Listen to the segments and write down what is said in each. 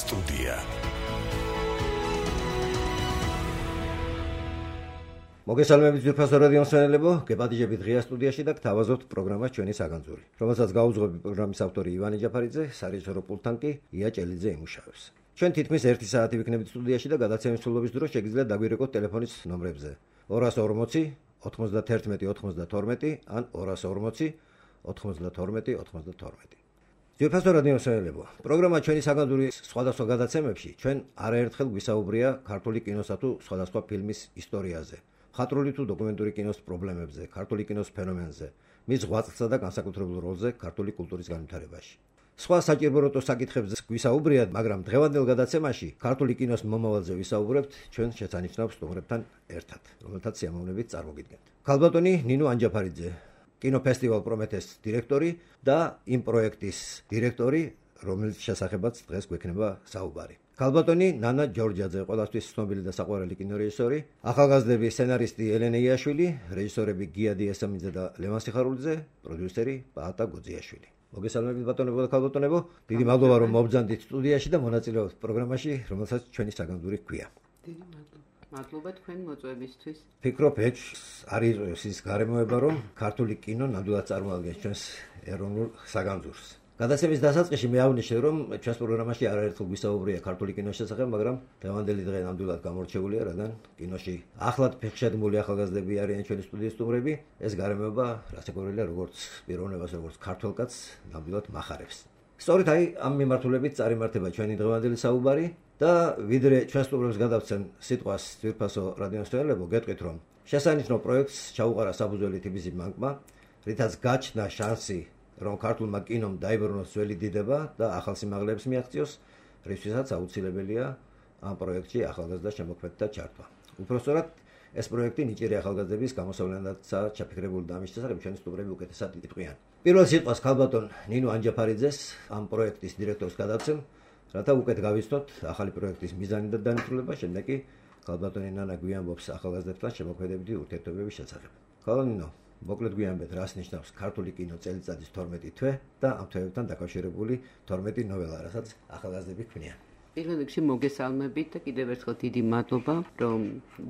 სტუდია. მოგესალმებით ძვირფასო რადიო მსმენელებო, გეპატიჟებით ღია სტუდიაში და გთავაზობთ პროგრამას ჩვენი საგანძური, რომელსაც გაუძღვები პროგრამის ავტორი ივანე ჯაფარიძე, სარეჟისორო პულტთან კი ია ჭელიძე იმუშავებს. ჩვენ თითქმის 1 საათი ვიქნებით სტუდიაში და გადაცემის სრულობის დროს შეგიძლიათ დაგვირეკოთ ტელეფონის ნომრებზე 240 91 92 ან 240 92 92. ძვირფასო რადიო მსმენელებო, პროგრამა ჩვენი საგანძური სხვადასხვა გადაცემებში ჩვენ არაერთხელ გვისაუბრია ქართული კინოსა თუ სხვადასხვა ფილმის ისტორიაზე, მხატვრული თუ დოკუმენტური კინოს პრობლემებზე, ქართული კინოს ფენომენზე, მის ღვაწლსა და განსაკუთრებულ როლზე ქართული კულტურის განვითარებაში. სხვა საჭიროებო საკითხებზე გვისაუბრიათ, მაგრამ დღევანდელ გადაცემაში ქართული კინოს მომავალზე ვისაუბრებთ ჩვენ შესანიშნავ სტუმრებთან ერთად, რომელთაც სიამოვნებით წარმოგიდგენთ. ქალბატონი ნინო ანჯაფარიძე, კინოფესტივალ პრომეთეს დირექტორი და იმ პროექტის დირექტორი, რომელიც შესახებაც დღეს გვექნება საუბარი. ქალბატონი ნანა ჯორჯაძე, ყველასთვის ცნობილი და საყვარელი კინორეჟისორი, ახალგაზრდების სცენარისტი ელენე იაშვილი, რეჟისორები გიადი ესამიძე და ლევან სიხარულიძე, პროდიუსერი პაატა გოძიაშვილი. მოგესალმებით ბატონებო და ქალბატონებო, დიდი მადლობა რომ მობრძანდით სტუდიაში და მონაწილეობთ პროგრამაში, რომელსაც ჩვენი საგანძური ჰქვია. დიდი მადლობა თქვენ მოწვევისთვის. ფიქრობ არის ის გარემოება, რომ ქართული კინო ნამდვილად წარმოადგენს ჩვენს ეროვნულ საგანძურს. გადაცემის დასაწყისში მე აღნიშნე, რომ ჩვენს პროგრამაში არაერთხელ გვისაუბრია ქართული კინოს შესახებ, მაგრამ დღევანდელი დღე ნამდვილად გამორჩეულია, რადგან კინოში ახლად ფეხშედმული ახალგაზრდები არიან ჩვენი სტუდიის სტუმრები. ეს გარემოება რასაკვირველია, როგორც პიროვნებას, როგორც ქართველ კაცს ნამდვილად მახარებს. სწორედ ამ მიმართულებით წარიმართება ჩვენი დღევანდელი საუბარი და ვიდრე ჩვენ სტუმრებს გადავცემ სიტყვას ძვირფასო რადიო მსმენელებო, გეტყვით, რომ შესანიშნავ პროექტს ჩაუყარა საბუძველი თბილისის ბანკმა, რითაც გაჩნდა შანსი, რომ ქართულმა კინომ დაიბრუნოს ძველი დიდება და ახალ სიმაღლეებს მიაღწიოს, რისთვისაც აუცილებელია ამ პროექტში ახალგაზრდა შემოქმედთა ჩართვა. უпростоრად ეს პროექტი ნიჭიერი ახალგაზრდების გამოსავლენადაცაა ჩაფიქრებული და ამის შესახებ ჩვენი სტუმრები უკეთესად იტყვიან. პირველ სიტყვას ქალბატონ ნინო ანჯაფარიძეს, ამ პროექტის დირექტორს გადავცემ, რათა უკეთ გავიცნოთ ახალი პროექტის მიზანი და განვითარება, შემდეგ კი ქალბატონი ნანა გვიამბობს ახალგაზრდებთან შემოქმედებითი ურთიერთობების შესახებ. ქალბატონო, მოკლედ გვიამბეთ, რას ნიშნავს ქართული კინო წელიწადის 12 თვე და ამ თვეებთან დაკავშირებული 12 ნოველა, რასაც ახალგაზრდები ქმნიან. პირველ რიგში მოგესალმებით და კიდევ ერთხელ დიდი მადლობა, რომ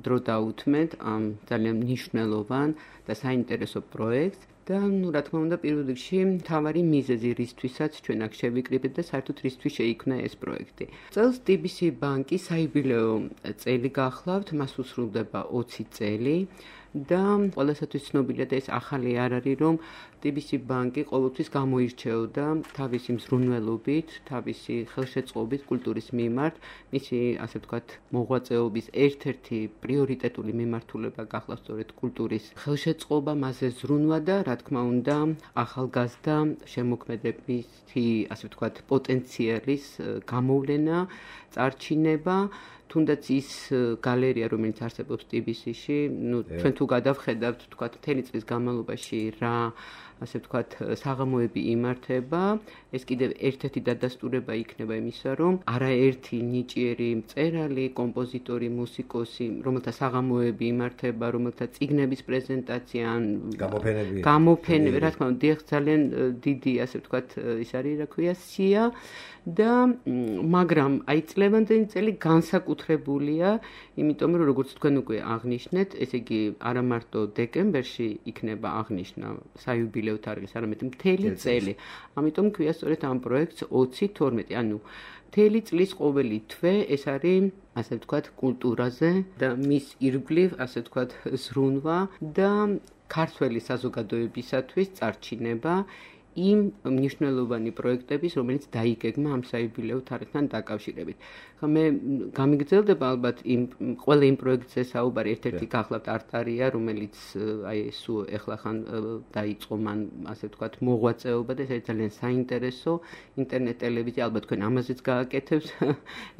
დრო დაუთმეთ ამ ძალიან მნიშვნელოვან და საინტერესო პროექტს. და რა თქმა უნდა, პირველ რიგში მთავარი მიზეზი, რისთვისაც ჩვენ აქ შევიკრიბეთ და საერთოდ რისთვის შეიქმნა ეს პროექტი. წელს TBC ბანკი საიუბილეო წელი გახლავთ, მას უსრულდება 20 წელი. და ყველასათვის ცნობილია და ეს ახალი არ არის, რომ TBC ბანკი ყოველთვის გამოირჩეოდა თავისი მზრუნველობით, თავისი ხელშეწყობით კულტურის მიმართ, მისი ასე ვთქვათ მოღვაწეობის ერთ-ერთი პრიორიტეტული მიმართულება გახლავთ სწორედ კულტურის ხელშეწყობა, მასზე ზრუნვა და რა თქმა უნდა ახალგაზრდა შემოქმედებითი ასე ვთქვათ პოტენციალის გამოვლენა, წარჩინება. თუნდაც ის გალერეა, რომელიც არსებობს TBC-ში, ჩვენ თუ გადავხედავთ, თქვათ, მთელი წლის განმავლობაში რა, ასე ვთქვათ, საღამოები იმართება, ეს კიდევ ერთ-ერთი დადასტურება იქნება იმისა, რომ არაერთი ნიჭიერი მწერალი, კომპოზიტორი, მუსიკოსი, რომელთა საღამოები იმართება, რომელთა წიგნების პრეზენტაცია, გამოფენები, რა თქმა უნდა, ძალიან დიდი, ასე ვთქვათ, ის არის, რა ქვია, სია. და მაგრამ აი წლევანდელი წელი განსაკუთრებულია, იმიტომ რომ როგორც თქვენ უკვე აღნიშნეთ, ესე იგი არა მარტო დეკემბერში იქნება აღნიშნა საიუბილეო თარიღის, არამედ მთელი წელი. ამიტომ ქვია სწორედ ამ პროექტს 20-12, ანუ მთელი წლის ყოველი თვე ეს არის, ასე ვთქვათ, კულტურაზე და მის ირგვლივ, ასე ვთქვათ, ზრუნვა და ქართველი საზოგადოებისათვის წარჩინება იმ მნიშვნელოვანი პროექტების, რომელიც დაიგეგმა ამ საიუბილეო თარიღთან დაკავშირებით. მე გამიგრძელდება ალბათ ყველა იმ პროექტზე საუბარი, ერთ-ერთი გახლავთ არტარია, რომელიც აი სულ ეხლახან დაიწყო მან, ასე ვთქვათ, მოღვაწეობა და ეს ძალიან საინტერესო ინტერნეტ ტელევიზია, ალბათ თქვენ ამაზეც გააკეთებთ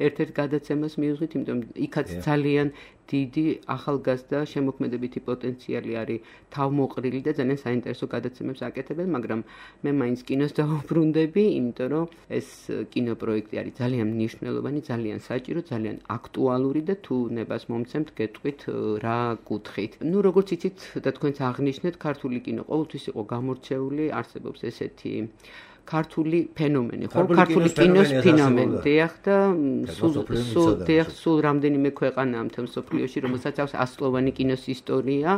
ერთ-ერთ გადაცემას მივიღეთ, იმიტომ იქაც ძალიან დიდი ახალგაზრდა შემოქმედებითი პოტენციალი არის თავმოყრილი და ძალიან საინტერესო გადაცემებს აკეთებენ, მაგრამ მე მაინც კინოს დავუბრუნდები, იმიტომ რომ ეს კინოპროექტი არის ძალიან მნიშვნელოვანი, ძალიან საჭირო, ძალიან აქტუალური და თუ ნებას მომცემთ, გეტყვით რა კუთხით. ნუ როგორც იცით და თქვენც აღნიშნეთ, ქართული კინო ყოველთვის იყო გამორჩეული, არსებობს ესეთი ქართული ფენომენი, ხო? ქართული კინოს ფენომენი. დიახ და სულ რამდენიმე ქვეყანაა მთელ მსოფლიოში, რომელსაც აქვს ასლოვანი კინოს ისტორია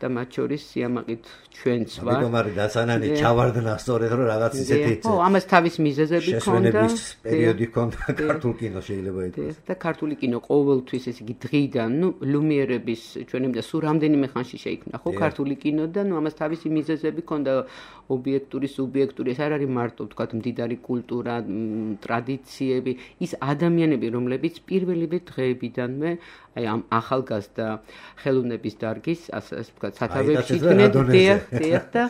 და მათ შორის სიამაყით ჩვენც ვარ. ამიტომ არის დასანანი ჩავარდნა სწორედ რომ რაღაც ისეთი ხო, ამას თავის მიზეზები ჰქონდა. პერიოდი ჰქონდა ქართულ კინოს შეიძლება ითქვას. და ქართული კინო ყოველთვის ესე იგი დღიდან, ლუმიერების ჩვენამდე სულ რამდენიმე ხანში შეიქმნა, ხო, ქართული კინო და ამას თავისი მიზეზები ჰქონდა ობიექტური, სუბიექტური, ეს არ არის მარტო ვთქვათ მდიდარი კულტურა, ტრადიციები, ის ადამიანები, რომლებიც პირველივე დღეებიდანვე აი ამ ახალგაზრდა ხელოვნების დარგის, ასე ვთქვათ, სათავეებში იდგნენ, დიახ და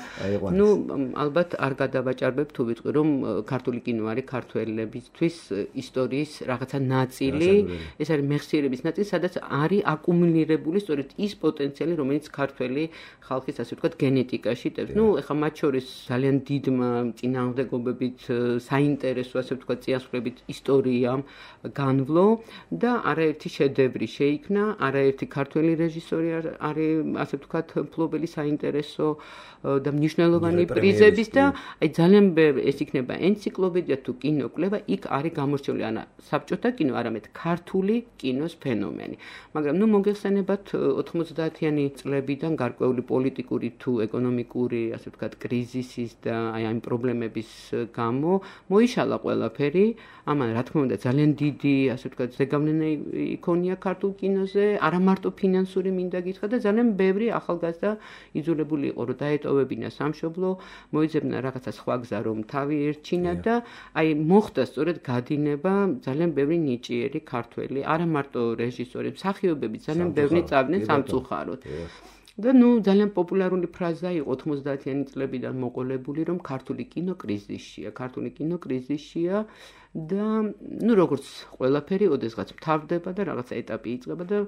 ალბათ არ გადავაჭარბებ თუ ვიტყვი, რომ ქართული კინო არის ქართველებისთვის ისტორიის რაღაცა ნაწილი, ეს არის მეხსიერების ნაწილი, სადაც არის აკუმულირებული სწორედ ის პოტენციალი, რომელიც ქართველი ხალხის, ასე ვთქვათ, გენეტიკაში ტევს. ეხლა მათ შორის ძალიან დიდმა წინააღმდეგობებით, საინტერესო, ასე ვთქვათ, წიაღისეულობით ისტორიამ განვლო და არაერთი შედევრი შეიქმნა, არაერთი ქართველი რეჟისორი არის, ასე ვთქვათ, მფლობელი საინტერესო და მნიშვნელოვანი პრიზების და აი ძალიან ეს იქნება ენციკლოპედია თუ კინოკვლევა, იქ არის გამორჩეული არა საბჭოთა კინო, არამედ ქართული კინოს ფენომენი. მაგრამ მოგეხსენებათ 90-იანი წლებიდან გარკვეული პოლიტიკური თუ ეკონომიკური, ასე ვთქვათ, კრიზისის და აი ამ პრობლემების გამო მოიშალა ყველაფერი. ამან რა თქმა უნდა ძალიან დიდი, ასე ვთქვათ, ზეგავლენა იქონია ქართულ კინოზე, არა მარტო ფინანსური მინდა გითხრა და ძალიან ბევრი ახალგაზრდა იძულებული იყო რომ დაეტოვებინა სამშობლო, მოიძებნა რაღაცა სხვა გზა რომ თავი ერჩინა და აი მოხდა სწორედ გადინება ძალიან ბევრი ნიჭიერი ქართველი, არა მარტო რეჟისორები, მსახიობები ძალიან ბევრი წავდნენ სამწუხაროდ. და ძალიან პოპულარული ფრაზა იყო 90-იანი წლებიდან მოყოლებული, რომ ქართული კინო კრიზისშია და როგორც ყველაფერი ოდესღაც მთავრდება და რაღაცა ეტაპი იწყება და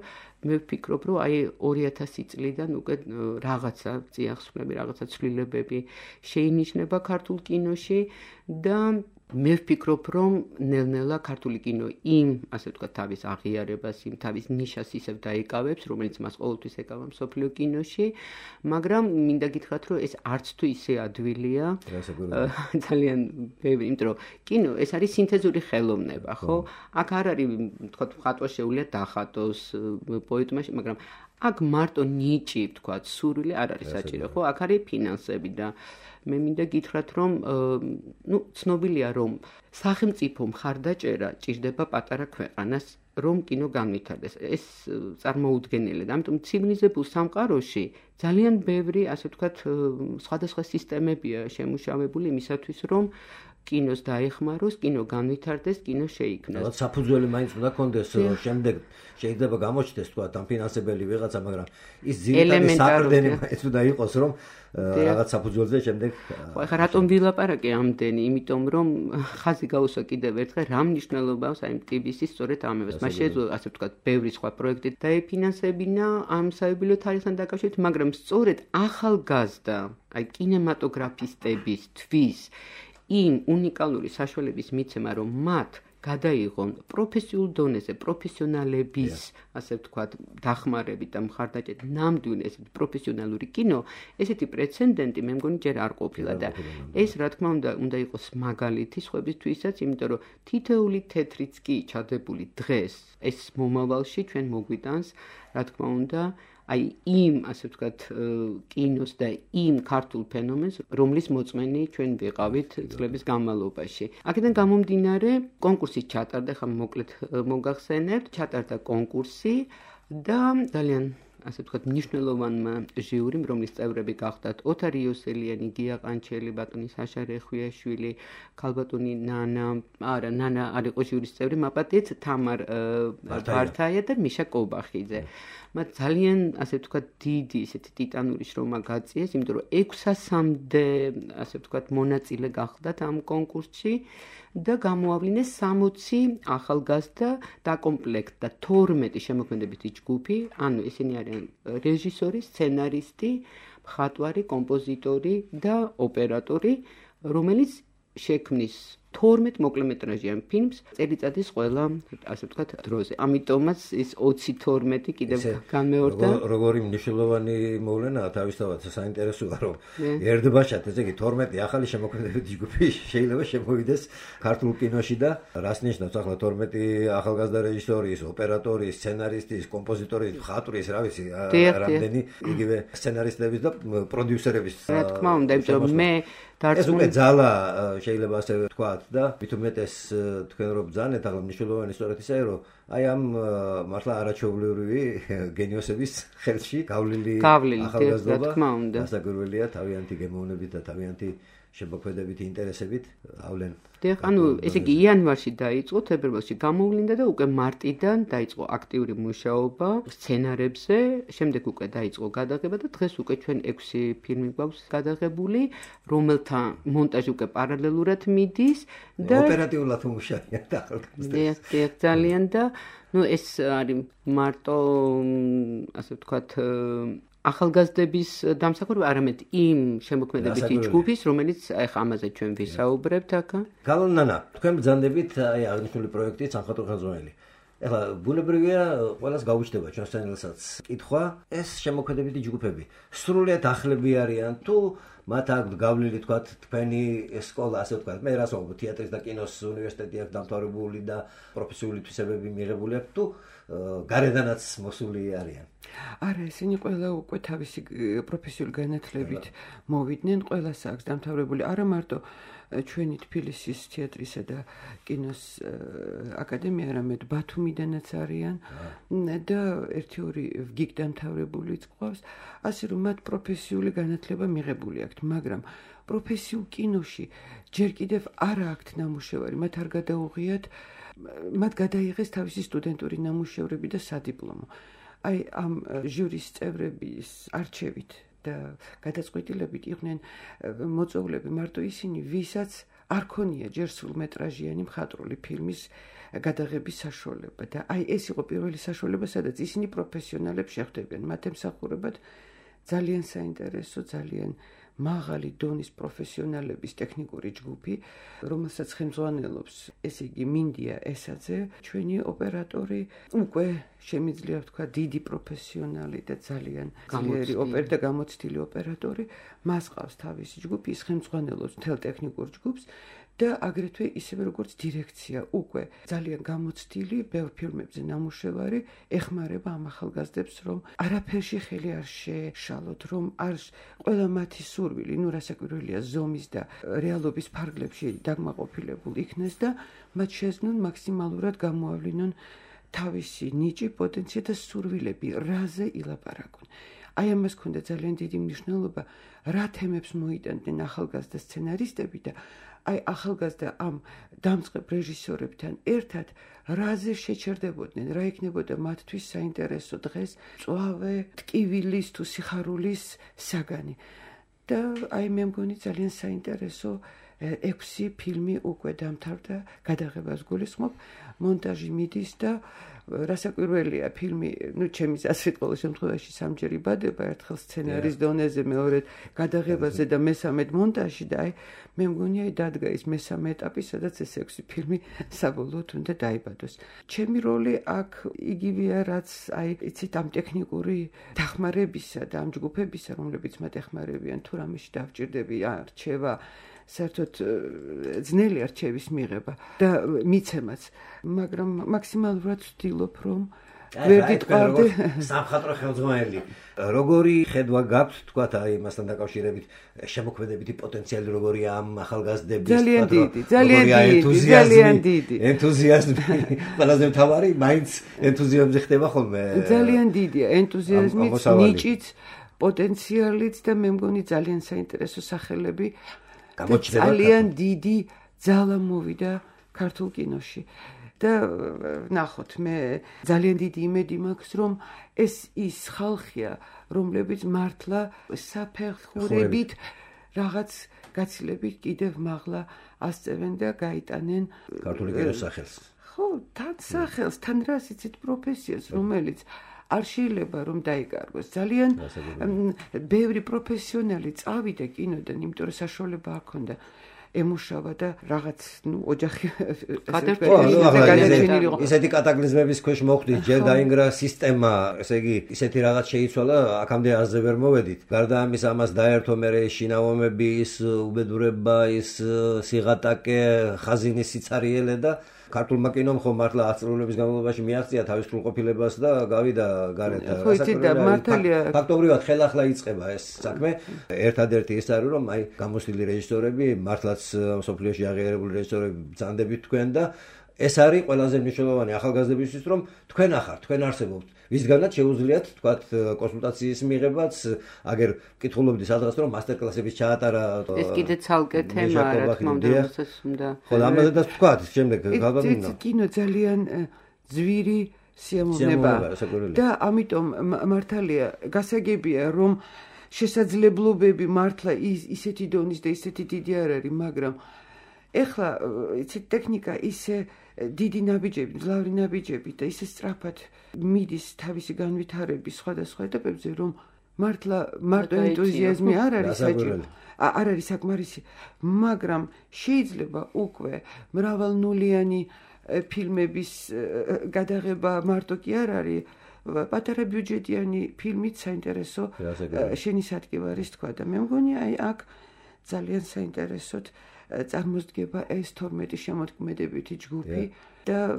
მე ვფიქრობ, რომ აი 2000 წლიდან უკვე რაღაცა წიაღისეულები, რაღაცა ცვლილებები შეინიშნება ქართულ კინოში და მე ვფიქრობ, რომ ნელ-ნელა ქართული კინო იმ, ასე ვთქვათ, თავის აღიარებას, იმ თავის ნიშას ისევ დაიკავებს, რომელიც მას ყოველთვის ეკავა მსოფლიო კინოში, მაგრამ მინდა გითხრათ, რომ ეს არც თუ ისე ადვილია, ძალიან ბევრი, იმიტომ რომ კინო ეს არის სინთეზური ხელოვნება, ხო? აქ არ არის, ვთქვათ, მხატვარს შეუძლია დახატოს პოეტმა, მაგრამ აქ მარტო ნიჭი, ვთქვათ, სურვილი არ არის საჭირო, ხო? აქ არის ფინანსები და მე მინდა გითხრათ, რომ ცნობილია, რომ სახელმწიფო მხარდაჭერა ჭირდება პატარა ქვეყანას, რომ კინო განვითარდეს. ეს წარმოუდგენელია. ამიტომ ცივილიზებულ სამყაროში ძალიან ბევრი, ასე ვთქვათ, სხვადასხვა სისტემებია შემუშავებული იმისათვის, რომ კინოს დაეხმაროს, კინო განვითარდეს, კინო შეიქმნას. რაღაც საფუძველი მაინც უნდა კონდეს, შემდეგ შეიძლება გამოჩნდეს, თქვათ, ამ ფინანსებელი ვიღაცა, მაგრამ ის ძირითადი საყრდენი მაინც უნდა იყოს, რომ რაღაც საფუძველზე შემდეგ ხო, ეხლა რატომ ვილაპარაკე ამდენი? იმიტომ რომ ხაზი გაუსვა კიდევ ერთხელ, რა მნიშვნელობა აქვს აი TBS-ის სწორედ ამებას. მას შეეძლო, ასე ვთქვათ, ბევრი სხვა პროექტი დაეფინანსებინა ამ საიუბილეო თარიღთან დაკავშირებით, მაგრამ სწორედ ახალგაზრდა, აი კინემატოგრაფისტებისთვის იმ უნიკალური საშუალების მიცემა, რომ მათ გადაიღონ პროფესიულ დონეზე პროფესიონალების, ასე ვთქვათ, დახმარებით და მხარდაჭერით ნამდვილი ესეთი პროფესიონალური კინო, ესეთი პრეცედენტი მე მგონი ჯერ არ ყოფილა და ეს რა თქმა უნდა იყოს მაგალითი სხვებისთვისაც, იმიტომ რომ თითოეული თეთრიც კი ჩადებული დღეს ეს მომავალში ჩვენ მოგვიტანს, რა თქმა უნდა, აი იმ, ასე ვთქვათ, კინოს და იმ ქართულ ფენომენს, რომლის მოწმენი ჩვენ ვიყავით წლების განმავლობაში. აქედან გამომდინარე, კონკურსი ჩატარდა, ხა მოკლედ მოგახსენებთ, ჩატარდა კონკურსი და ძალიან ასე ვთქვათ, მნიშვნელოვანმა ჟიურიმ, რომლის წევრები გახდათ ოთარ იოსელიანი, გია ყანჩელი, ბატონი საშა რეხვიაშვილი, ქალბატონი ნანა არ იყო ჟიურის წევრი, მაპატიეთ თამარ ბართაია და მიშა კობახიძე. მათ ძალიან, ასე ვთქვათ, დიდი ესეთი ტიტანური შრომა გაწიეს, იმიტომ რომ 600-მდე, ასე ვთქვათ, მონაწილე გახდათ ამ კონკურსში და გამოავლინეს 60 ახალგაზრდა დაკომპლექტდა 12 შემოქმედებითი ჯგუფი, ანუ ესენი არიან რეჟისორი, სცენარისტი, მხატვარი, კომპოზიტორი და ოპერატორი, რომელიც შექმნის 12 მოკლემეტრაჟიან ფილმს წელიწადის ყველა, ასე ვთქვათ, დროზე. ამიტომაც ის 20-12 კიდევ განმეორდა. როგორი მნიშვნელოვანი მოვლენაა თავისთავად საინტერესოა, რომ ერთბაშად, ესე იგი 12 ახალი შემოქმედებითი ჯგუფი შეიძლება შემოვიდეს ქართულ კინოში და რას ნიშნავს ახლა 12 ახალგაზრდა რეჟისორის, ოპერატორის, სცენარისტის, კომპოზიტორის, მხატვრის, რა ვიცი, რამდენი იგივე სცენარისტების და პროდიუსერების. რა თქმა უნდა, იმიტომ რომ მე ეს უკვე ძალა შეიძლება ასე ვთქვათ და მით უმეტეს თქვენ რო ბრძანეთ, ახლა მნიშვნელოვანი სწორედ ისაა, რომ აი ამ მართლა არაჩვეულებრივი გენიოსების ხელში გავლილი ახალგაზრდობა, გასაკვირველია თავიანთი გემოვნებით და თავიანთი შემოქმედებითი ინტერესებით ავლენ. ანუ ესე იგი იანვარში დაიწყო, თებერვალში გამოვლინდა და უკვე მარტიდან დაიწყო აქტიური მუშაობა სცენარებზე, შემდეგ უკვე დაიწყო გადაღება და დღეს უკვე ჩვენ 6 ფილმი გვაქვს გადაღებული, რომელთა მონტაჟი უკვე პარალელურად მიდის და ოპერატიულად მუშაობენ და ახალგაზრდებს. ძალიან და ეს არის მარტო ასე ვთქვათ ახალგაზრდების დამსახურება, არამედ იმ შემოქმედებითი ჯგუფის, რომელიც ახლა ამაზე ჩვენ ვისაუბრებთ აქ. გალონ ნანა, თქვენ ბრძანდებით აი აღნიშნული პროექტი სამხატვრო ხელმძღვანელი. ეხლა ბუნებრივია ყველას გაუჩნდება ჩვენსენელსაც კითხვა, ეს შემოქმედებითი ჯგუფები სრულიად ახლები არიან თუ მათ აქვს გავლილი თქვათ თქვენი სკოლა, ასე ვთქვათ, მე რას ვამბობ, თეატრის და კინოს უნივერსიტეტი აქვს დამთავრებული და პროფესიული თვისებები მიღებული აქვს თუ გარედანაც მოსული არიან. არა, ესენი ყველა უკვე თავისი პროფესიული განათლებით მოვიდნენ, ყველას აქვს დამთავრებული, არა მარტო ჩვენი თბილისის თეატრისა და კინოს აკადემია, არამედ ბათუმიდანაც არიან და 1-2 ვგიგ დამთავრებულიც ყავს, ასე რომ მათ პროფესიული განათლება მიღებული აქვთ, მაგრამ პროფესიულ კინოში ჯერ კიდევ არ აქვთ ნამუშევარი, მათ არ გადაუღიათ, მათ გადაიღეს თავისი სტუდენტური ნამუშევრები და სადიპლომო. აი ამ ჟურის წევრების არჩევით და გადაწყვეტილებით იყვნენ მოწვეულები მარტო ისინი, ვისაც არ ქონია ჯერ სრულმეტრაჟიანი მხატვრული ფილმის გადაღების საშუალება და აი ეს იყო პირველი საშუალება, სადაც ისინი პროფესიონალებს შეხვდებიან. მათ ემსახურებათ ძალიან საინტერესო, ძალიან მაღალი დონის პროფესიონალების ტექნიკური ჯგუფი, რომელსაც ხელმძღვანელობს, ესე იგი მინდია ესაძე, ჩვენი ოპერატორი, უკვე შემიძლია ვთქვა დიდი პროფესიონალი და ძალიან ძლიერი და გამოცდილი ოპერატორი, მას ყავს თავისი ჯგუფი, ის ხელმძღვანელობს მთელ ტექნიკურ ჯგუფს და აგრეთვე ისევე როგორც დირექცია, უკვე ძალიან გამოცდილი, ბევრ ფილმებზე ნამუშევარი ეხმარება ამ ახალგაზრდებს, რომ არაფერში ხელი არ შეშალოთ, რომ არ ყველა მათი სურვილი, რასაკვირველია, ზომის და რეალობის ფარგლებში დაგმაყოფილებული იქნეს და მათ შეეძლონ მაქსიმალურად გამოავლინონ თავისი ნიჭი, პოტენცია და სურვილები, რაზე ილაპარაკონ. აი ამას ქონდა ძალიან დიდი მნიშვნელობა, რა თემებს მოიტანდნენ ახალგაზრდა სცენარისტები და აი ახალგაზრდა ამ დამწყებ რეჟისორებთან ერთად რაზე შეჩერდებოდნენ, რა იქნებოდა მათთვის საინტერესო დღეს, წვავე, ტკივილის თუ სიხარულის საგანი. და აი მე მგონი ძალიან საინტერესო 6 ფილმი უკვე დამთავრდა, გადაღებას გულისხმობ, მონტაჟი მიდის და რასაკვირველია ფილმი, ჩემი აზრით ყოველ შემთხვევაში სამჯერ იბადება, ერთხელ სცენარის დონეზე, მეორედ გადაღებაზე და მესამედ მონტაჟში და აი მე მგონი აი დადგა ის მესამე ეტაპი, სადაც ეს 6 ფილმი საბოლოოდ უნდა დაიბადოს. ჩემი როლი აქ იგივეა, რაც აი იცით ამ ტექნიკური დახმარებისა და ამ ჯგუფებისა, რომლებიც მათ ეხმარებიან, თუ რამეში დავჭირდები, არჩევა საერთოდ ძნელი არჩევის მიღება და მიცემაც, მაგრამ მაქსიმალურად ვცდილობ, რომ ვერ გიტყვარდე სამხატვრო ხელმძღვანელი. როგორი ხედვა გაქვთ, თქვათ, აი მასთან დაკავშირებით, შემოქმედებითი პოტენციალი როგორია ამ ახალგაზრდების, ძალიან დიდი. ენთუზიაზმი, ყველაზე მთავარი, მაინც ენთუზიაზმი ხდება ხოლმე. ძალიან დიდია ენთუზიაზმიც, ნიჭიც, პოტენციალიც და მე მგონი ძალიან საინტერესო სახელები. ძალიან დიდი ძალა მოვიდა ქართულ კინოში და ნახოთ, მე ძალიან დიდი იმედი მაქვს, რომ ეს ის ხალხია, რომლებიც მართლა საფეხურებით რაღაც გაცილებით კიდევ მაღლა ასწევენ და გაიტანენ ქართული კინოს სახელს. ხო, თან სახელს, თან რას იცით პროფესიას, რომელიც არ შეიძლება რომ დაიკარგოს. ძალიან ბევრი პროფესიონალი წავიდა კინოდან, იმიტომ რომ საშუალება არ ქონდა. ემუშავა და რაღაც ოჯახი ისეთი კატაკლიზმების ქვეშ მოხვდით, ჯერ დაინგრა სისტემა, ესე იგი ისეთი რაღაც შეიცვალა, აქამდე აზრზე ვერ მოვედით. გარდა ამის ამას დაერთო მერე შინაომები, ის უბედურება, ის სიღატაკე, ხაზინის სიცარიელე და ქართულმა კინომ ხომ მართლა 10 წლების განმავლობაში მიაღწია თავის სრულყოფილებას და გავიდა გარეთ. ფაქტობრივად ხელახლა იწყება ეს საქმე. ერთადერთი ის არის, რომ აი გამოსვლილი რეჟისორები, მართლაც მსოფლიოში აღიარებული რეჟისორები ბრძანდებით თქვენ და ეს არის ყველაზე მნიშვნელოვანი ახალგაზრდებისთვის, რომ თქვენ ახართ, თქვენ არსებობთ. ვისგანაც შეუძლიათ თქვათ კონსულტაციის მიღებაც, აგერ მკითხულობდი სადღაც რომ მასტერკლასების ჩაატარა. ეს კიდე ცალკე თემაა, რა თქმა უნდა, რასაც უნდა. ხო, ამაზედაც თქვათ, შემდეგ გავაბინა. კინო ძალიან ძვირი სიამოვნება და ამიტომ მართალია გასაგებია, რომ შესაძლებლობები მართლა ისეთი დონის და ისეთი დიდი არ არის, მაგრამ ეხლა იცით ტექნიკა ისე დიდი ნაბიჯები, მძლავრი ნაბიჯები და ისე სწრაფად მიდის თავისი განვითარების სხვადასხვა ეტაპებზე, რომ მართლა მარტო ენთუზიაზმი არ არის საჭირო. არ არის საკმარისი, მაგრამ შეიძლება უკვე მრავალნულიანი ფილმების გადაღება მარტო კი არ არის, პატარა ბიუჯეტიანი ფილმით საინტერესო შენისადკი არის თქვა და მე მგონი აი აქ ძალიან საინტერესოდ წარმოსდგება ეს 12 შემოქმედებითი ჯგუფი და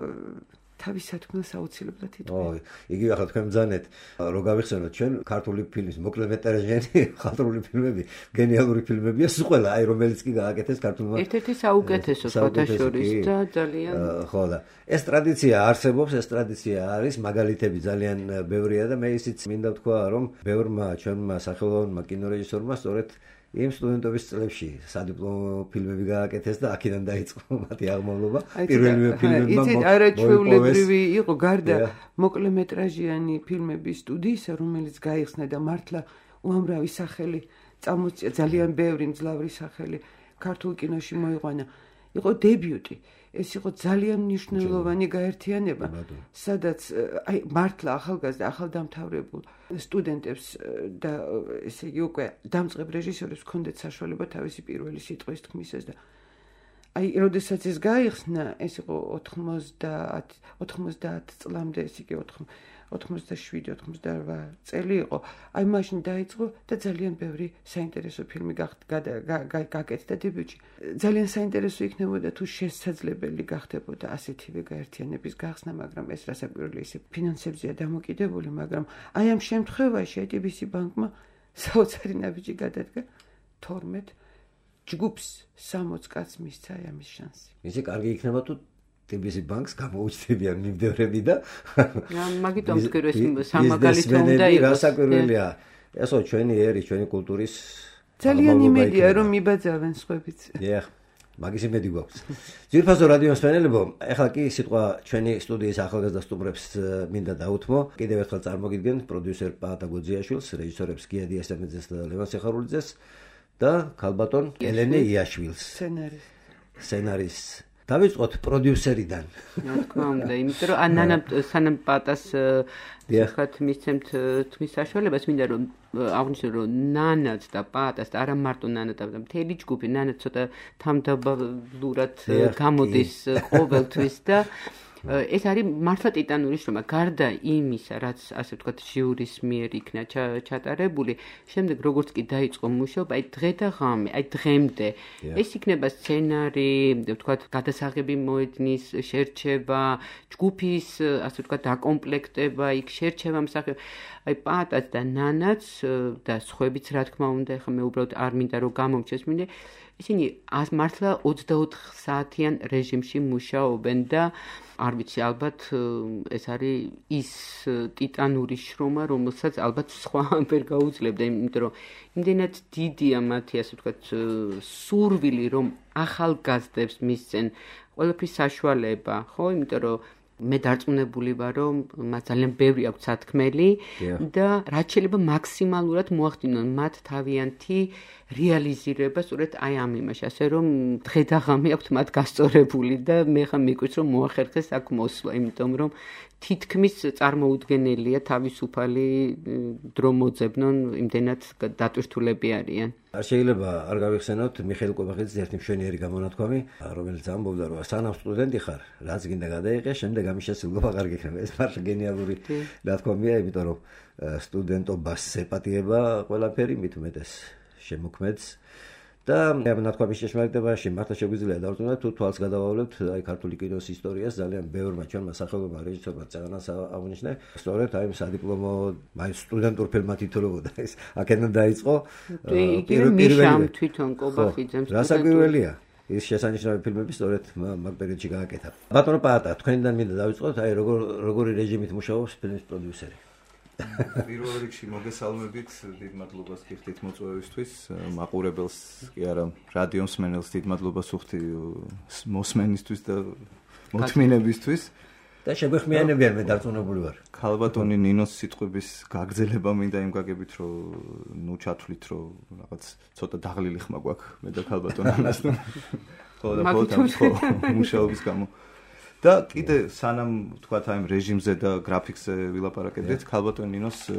თავის სათქმელს აუცილებლად იტყვია. იგივე ახლა თქვენ ბრძანეთ, რომ გავიხსენოთ ჩვენ ქართული ფილმის მოკლემეტრაჟიანი ხალხური ფილმები, გენიალური ფილმებია სულ ყველა, აი რომელიც კი გააკეთეს ქართულმა. ერთ-ერთი საუკეთესო ფოტოშორის და ძალიან ხო და ეს ტრადიცია არსებობს, ეს ტრადიცია არის, მაგალითები ძალიან ბევრია და მე ისიც მინდა ვთქვა, რომ ბევრმა ჩვენმა სახელოვანმა კინორეჟისორმა სწორედ იმ სტუდენტობის წლებში სადიპლომო ფილმები გააკეთეს და აქედან დაიწყო მათი აღმავლობა. პირველივე ფილმებმა იცით, არაჩვეულებრივი იყო გარდა მოკლემეტრაჟიანი ფილმების სტუდიისა, რომელიც გაიხსნა და მართლა უამრავი სახელი წამოწია, ძალიან ბევრი მძლავრი სახელი ქართულ კინოში მოიყვანა. იყო დებიუტი. ეს იყო ძალიან მნიშვნელოვანი გაერთიანება, სადაც აი მართლა ახალგაზრდა, ახალდამთავრებულ სტუდენტებს და ესე იგი უკვე დამწყებ რეჟისორებს ჰქონდათ საშუალება თავისი პირველი სიტყვის თქმისას და აი როდესაც ეს გაიხსნა, ეს იყო 90 წლამდე, ეს იგი 87-88 წელი იყო. აი მაშინ დაიწყო და ძალიან ბევრი საინტერესო ფილმი გაკეთდა დებიუტში. ძალიან საინტერესო იქნებოდა თუ შესაძლებელი გახდებოდა ასეთივე გაერთიანების გახსნა, მაგრამ ეს რასაკვირველია ისე ფინანსებზეა დამოკიდებული, მაგრამ აი ამ შემთხვევაში ITBC ბანკმა საოცარი ნაბიჯი გადადგა 12 ჯგუფს 60 კაცს მისცა ამის შანსი. ისე კარგი იქნება თუ ITBC ბანკს გამოუჩნდებიან მიმდევრები და მაგიტომ ვთქვი სამაგალითო უნდა იყოს. რასაკვირველია, ესო ჩვენი ერი, ჩვენი კულტურის ძალიან იმედია რომ მიბაძავენ სხვებიც. დიახ, მაგის იმედი გვაქვს. ძვირფასო რადიო მსმენელებო, ეხლა კი სიტყვა ჩვენი სტუდიის ახალგაზრდა სტუმრებს მინდა დაუთმო. კიდევ ერთხელ წარმოგიდგენ პროდიუსერ პაატა გოძიაშვილს, რეჟისორებს გიადი ესამეძეს და ლევან სეხარულიძეს და ქალბატონ ელენე იაშვილს. სცენარისტს დავიწყოთ პროდიუსერიდან. რა თქმა უნდა, იმიტომ რომ ანანა სანამ პატას ხათ მისცემთ თქმის საშუალებას, მინდა რომ აღნიშნო რომ ნანაც და პატას და არა მარტო ნანა და მთელი ჯგუფი, ნანა ცოტა თამდაბლურად გამოდის ყოველთვის და ეს არის მართლა ტიტანური შრომა. გარდა იმისა, რაც ასე ვთქვათ ჟიურის მიერ იქნა ჩატარებული, შემდეგ როგორც კი დაიწყო მუშაობა, აი დღე და ღამე, აი დღემდე ეს იქნება სცენარი, ვთქვათ გადასაღები მოედნის შერჩევა, ჯგუფის ასე ვთქვათ დაკომპლექტება, იქ შერჩევა მსახიობ, აი პატაც და ნანაც და სხვაებიც რა თქმა უნდა, ეხლა მე უბრალოდ არ მინდა რომ გამომჩეს, მინდა ისინი მართლა 24 საათიან რეჟიმში მუშაობენ და არ ვიცი, ალბათ ეს არის ის ტიტანური შრომა, რომელსაც ალბათ სხვა ვერ გაუძლებდა, იმიტომ რომ იმდენად დიდია მათი, ასე ვთქვათ, სურვილი, რომ ახალგაზრდებს მისცენ ყველაფრის საშუალება, ხო, იმიტომ რომ მე დარწმუნებული ვარ, რომ მათ ძალიან ბევრი აქვს სათქმელი და რაც შეიძლება მაქსიმალურად მოახდინონ მათ თავიანთი რეალიზირება სწორედ აი ამ იმაში, ასე რომ დღე და ღამე აქვთ მათ გასწორებული და მე ხა მიკვირს რომ მოახერხეს აქ მოსვლა, იმიტომ რომ თითქმის წარმოუდგენელია თავისუფალი დრო მოძებნონ, იმდენად დატვირთულები არიან. არ შეიძლება არ გავიხსენოთ მიხეილ კვებახიძის ერთი მშვენიერი გამონათქვამი, რომელიც ამბობდა, რომ სანამ სტუდენტი ხარ, რაც გინდა გადაიღე, შემდეგ ამის შესრულება არ გიქნება. ეს მართლა გენიალური ნათქვამია, იმიტომ რომ სტუდენტობას ეპატიება ყველაფერი, მით უმეტეს შემოქმედს. და ნათქვამის შეშმარიტებაში მართლა შეგვიძლია დავწუნოთ, თუ თვალს გადავავლებთ აი ქართული კინოს ისტორიას, ძალიან ბევრმა ჩვენმა სახელოვანმა რეჟისორმა წაღანას აღნიშნა, სწორედ აი სადიპლომო აი სტუდენტურ ფილმად ითვლებოდა ეს. აქედან დაიწყო პირველი თვითონ კვებახიძემ რასაკვირველია. ის შესანიშნავი ფილმები სწორედ მაგ პერიოდში გააკეთა. ბატონო პაატა, თქვენიდან მინდა დავიწყოთ, აი როგორი რეჟიმით მუშაობს ფილმის პროდიუსერი. პირველ რიგში მოგესალმებით, დიდ მადლობას გიხდით მოწვევისთვის, მაყურებელს კი არა, რადიო მსმენელს დიდ მადლობას ვუხდი მოსმენისთვის და მოთმინებისთვის. და შეგვეხმიანებიან, მე დარწმუნებული ვარ. ქალბატონი ნინოს სიტყვების გაგრძელება მინდა იმ გაგებით, რომ ნუ ჩათვლით, რომ რაღაც ცოტა დაღლილი ხმა გვაქვს მე და ქალბატონ ანასთან. ხო და მუშაობის გამო. და კიდე სანამ თქვათ აი რეჟიმზე და გრაფიკზე ვილაპარაკებდით, ქალბატონ ნინოს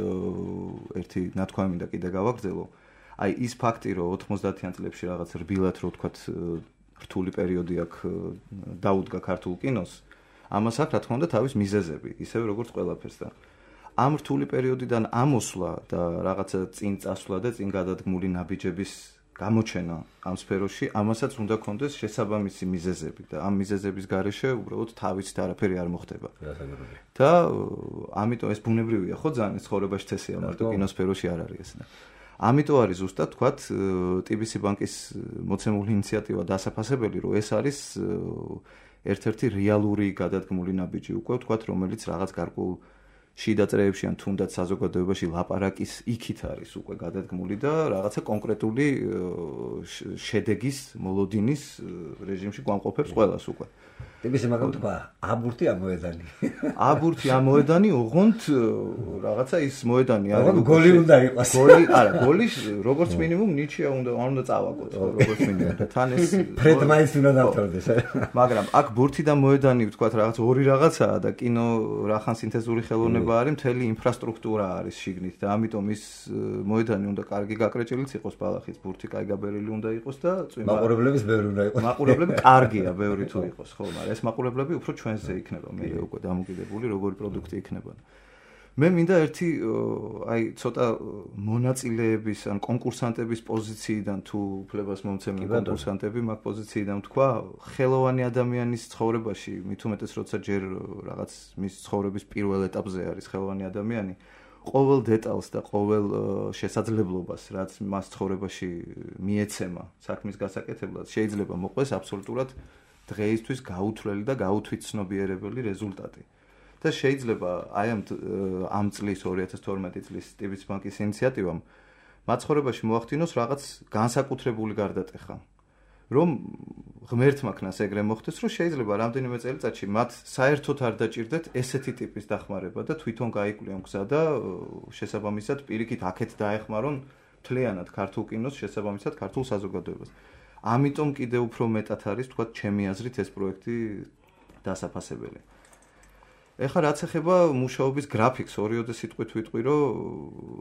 ერთი ნათქვამი მინდა კიდე გავაგრძელო. აი ის ფაქტი, რომ 90-იან წლებში რაღაც რბილად რო თქვათ რთული პერიოდი აქ დაუდგა ქართულ კინოს, ამას აქვს რა თქმა უნდა თავის მიზეზები, ისევე როგორც ყველაფერს და ამ რთული პერიოდიდან ამოსვლა და რაღაცა წინ წასვლა და წინ გადადგმული ნაბიჯების გამოჩენა ამ სფეროში, ამასაც უნდა კონდეს შესაბამისი მიზეზები და ამ მიზეზების გარეშე უბრალოდ თავით არაფერი არ მოხდება. და ამიტომ ეს ბუნებრივია, ხო ძალიან ცხოვრებაში წესია, მარტო კინოსფეროში არ არის ეს. ამიტომ არის ზუსტად თქვათ TBC ბანკის მოცემული ინიციატივა დასაფასებელი, რომ ეს არის ერთ-ერთი რეალური გადადგმული ნაბიჯი უკვე თქვათ, რომელიც რაღაც გარკვეულ შიდა წრეებში ან თუნდაც საზოგადოებაში ლაპარაკის იქით არის უკვე გადადგმული და რაღაცა კონკრეტული შედეგის მოლოდინის რეჟიმში გვამყოფებს ყველას უკვე. TBC მაგამ თქვა, აბურთი ამოედანი. აბურთი ამოედანი, ოღონდ რაღაცა ის მოედანი არის. ოღონდ გოლი უნდა იყოს. გოლი, არა, გოლი როგორც მინიმუმ ნიჩია უნდა წავაგოთ, როგორც მინიმუმ. თან ეს ფრედმაის უნდა დავთვალდეს. მაგრამ აქ ბურთი და მოედანი ვთქვათ რაღაც ორი რაღაცაა და კინო რახან სინთეზური ხელოვნება არის, მთელი ინფრასტრუქტურა არის შიგნით და ამიტომ ის მოედანი უნდა კარგი გაკრეჭილიც იყოს ბალახის, ბურთი კაი გაბერილი უნდა იყოს და წვიმა. მაყურებლების ბევრი უნდა იყოს. მაყურებლები კარგია, ბევრი თუ იყოს, ხო, მაგრამ ეს მაყურებლები უფრო ჩვენზე იქნება, მე უკვე დამოკიდებული როგორი პროდუქტი იქნება. მე მინდა ერთი აი ცოტა მონაწილეების ან კონკურსანტების პოზიციიდან თუ უფლებას მომცემენ კონკურსანტები მაგ პოზიციიდან თქვა, ხელოვანი ადამიანის ცხოვრებაში, მით უმეტეს როცა ჯერ რაღაც მის ცხოვრების პირველ ეტაპზე არის ხელოვანი ადამიანი, ყოველ დეტალს და ყოველ შესაძლებლობას, რაც მას ცხოვრებაში მიეცემა საქმის გასაკეთებლად, შეიძლება მოყვეს აბსოლუტურად დღეისთვის გაუთვლელი და გაუთვითცნობიერებელი რეზულტატი. და შეიძლება აი ამ წლის 2012 წლის TBC ბანკის ინიციატივამ მაცხოვრებაში მოახდინოს რაღაც განსაკუთრებული გარდატეხა. რომ ღმერთმა ქნას ეგრე მოხდეს, რომ შეიძლება რამდენიმე წელიწადში მათ საერთოდ არ დაჭირდეთ ესეთი ტიპის დახმარება და თვითონ გაიკვლიონ გზა და შესაბამისად პირიქით აქეთ დაეხმარონ მთლიანად ქართულ კინოს, შესაბამისად ქართულ საზოგადოებას. ამიტომ კიდევ უფრო მეტად არის თქვა ჩემი აზრით ეს პროექტი დასაფასებელი. ეხლა რაც ეხება მუშაობის გრაფიკს, ორიოდე სიტყვით ვიტყვი, რომ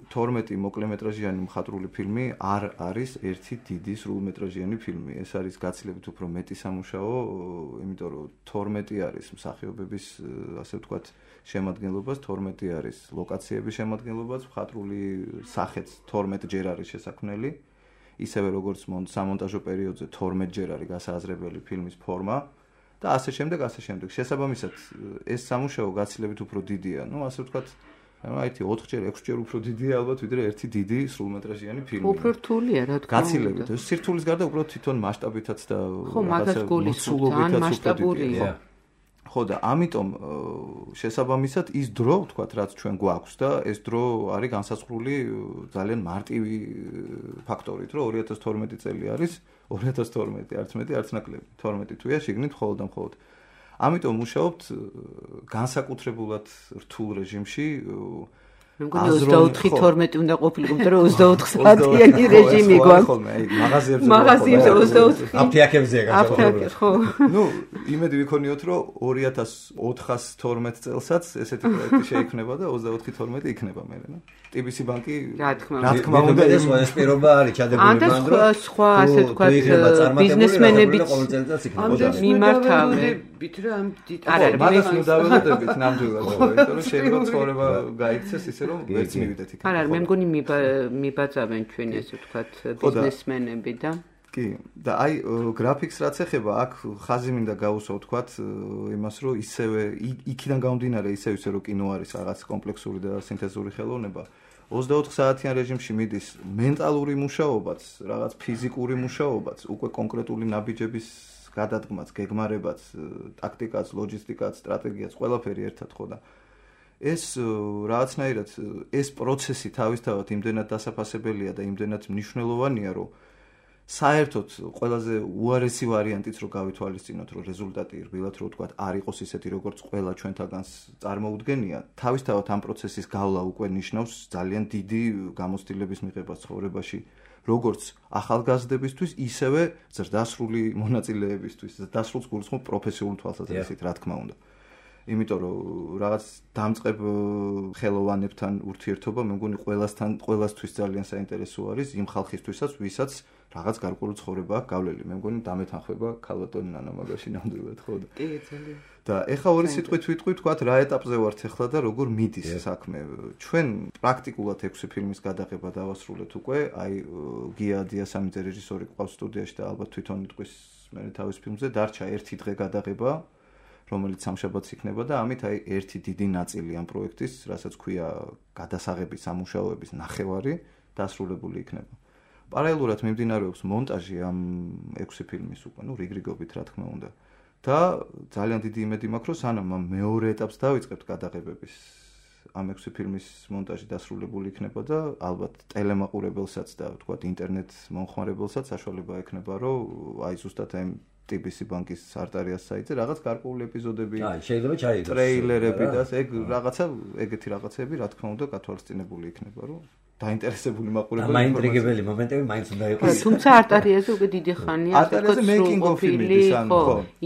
12 მოკლემეტრაჟიანი მხატვრული ფილმი არ არის ერთი დიდი სრულმეტრაჟიანი ფილმი. ეს არის გაცილებით უფრო მეტი სამუშაო, იმიტომ რომ 12 არის მსახიობების, ასე ვთქვათ, შემადგენლობას, 12 არის ლოკაციების შემადგენლობას, მხატვრული სახეც 12 ჯერ არის შესაქმნელი. ისევე როგორც სამონტაჟო პერიოდზე 12 ჯერ არის გასააზრებელი ფილმის ფორმა. და ასე შემდეგ. შესაბამისად, ეს სამუშაო გაცილებით უფრო დიდია. ნუ ასე ვთქვათ, აი 4 ჯერ, 6 ჯერ უფრო დიდია ალბათ, ვიდრე ერთი დიდი სრულმეტრაჟიანი ფილმი. უფრო რთულია, რა თქმა უნდა. გაცილებით. ეს სირთულის გარდა უბრალოდ თვითონ მასშტაბითაც და ხო, მაგას გულისხმობთ, მასშტაბურია. ხო და ამიტომ შესაბამისად ის დრო, ვთქვათ, რაც ჩვენ გვაქვს და ეს დრო არის განსაზღვრული ძალიან მარტივი ფაქტორით, რომ 2012 წელი არის 2012, არც მეტი, არც ნაკლები. 12 თვეა შიგნით მხოლოდ და მხოლოდ. ამიტომ მუშაობთ განსაკუთრებულად რთულ რეჟიმში მე მგონი 24-12 უნდა ყოფილიყო, იმიტომ რომ 24 საათიანი რეჟიმი გვაქვს. ხო, მე მაღაზიებზე 24. აფთიაქებზეა განსაკუთრებით. ხო. ნუ, იმედი ვიქონიოთ, რომ 2412 წელსაც ესეთი პროექტი შეიქმნება და 24-12 იქნება მე, რა. TBC ბანკი რა თქმა უნდა ეს პირობა არის ჩადებული მანდ რომ სხვა ასე თქვათ ბიზნესმენები მიმართავებით რა ამ არა მაგას მუდაველოდებით ნამდვილად იმიტომ რომ შეიძლება ცხოვრება გაიქცეს ისე რომ ვერც მივიდეთ იქ არა მე მგონი მიბაძავენ ჩვენ ასე თქვათ ბიზნესმენები და კი და აი გრაფიკს რაც ეხება აქ ხაზი მინდა გაუსვა თქვათ იმას რომ ისევე იქიდან გამომდინარე ისე რომ კინო არის რაღაც კომპლექსური და სინთეზური ხელოვნება 24 საათიან რეჟიმში მიდის მენტალური მუშაობაც, რაღაც ფიზიკური მუშაობაც, უკვე კონკრეტული ნაბიჯების გადადგმაც, გეგმარებაც, ტაქტიკაც, ლოჯისტიკაც, სტრატეგიაც, ყველაფერი ერთად ხო და ეს რაღაცნაირად ეს პროცესი თავისთავად იმდენად დასაფასებელია და იმდენად მნიშვნელოვანია, რომ საერთოდ ყველაზე უარესი ვარიანტიც რო გავითვალისწინოთ, რომ რეზულტატი რბილად რო ვთქვათ, არ იყოს ისეთი, როგორც ყველა ჩვენთაგანს წარმოუდგენია. თავისთავად ამ პროცესის გავლა უკვე ნიშნავს ძალიან დიდი გამოცდილების მიღებას ცხოვრებაში, როგორც ახალგაზრდებისთვის, ისევე ზრდასრული მონაწილეებისთვის, ზრდასრულს გულისხმობ პროფესიული თვალსაზრისით, რა თქმა უნდა. იმიტომ რომ რაღაც დამწყებ ხელოვანებთან ურთიერთობა მე მგონი ყველასთვის ძალიან საინტერესო არის იმ ხალხისთვისაც, ვისაც რაღაც გარკვეული ცხოვრება აქვს გავლილი. მე მგონი დამეთანხმება ქალბატონი ნანა მაგაში ნამდვილად ხო და. კი, ძალიან. და ეხა ორი სიტყვით ვიტყვი, თქვათ რა ეტაპზე ვართ ეხლა და როგორ მიდის საქმე. ჩვენ პრაქტიკულად 6 ფილმის გადაღება დავასრულეთ უკვე. აი გია დიასამიძე რეჟისორი ყავს სტუდიაში და ალბათ თვითონ იტყვის მე თავის ფილმზე დარჩა 1 დღე გადაღება. რომელიც სამშაბათს იქნება და ამით აი ერთი დიდი ნაწილი ამ პროექტის, რასაც ქვია გადასაღების სამუშაოების ნახევარი დასრულებული იქნება. პარალელურად მიმდინარეობს მონტაჟი ამ 6 ფილმის უკვე, ნუ რიგრიგობით რა თქმა უნდა. და ძალიან დიდი იმედი მაქვს, რომ სანამ ამ მეორე ეტაპს დავიწყებთ გადაღებების ამ 6 ფილმის მონტაჟი დასრულებული იქნება და ალბათ ტელემაყურებელსაც და ვთქვათ ინტერნეტ მომხმარებელსაც საშუალება ექნება, რომ აი ზუსტად აი TBC ბანკის არტარიას საიტზე რაღაც გარკვეული ეპიზოდები, შეიძლება ჩაიგოს ტრეილერები და ეგ რაღაცა, ეგეთი რაღაცები, რა თქმა უნდა, გათვალისწინებული იქნება, რომ დაინტერესებული მაყურებელი მაინტრიგებელი მომენტები მაინც უნდა იყოს. თუმცა არტარიაზე უკვე დიდი ხანია არტარიაზე making of films ხო,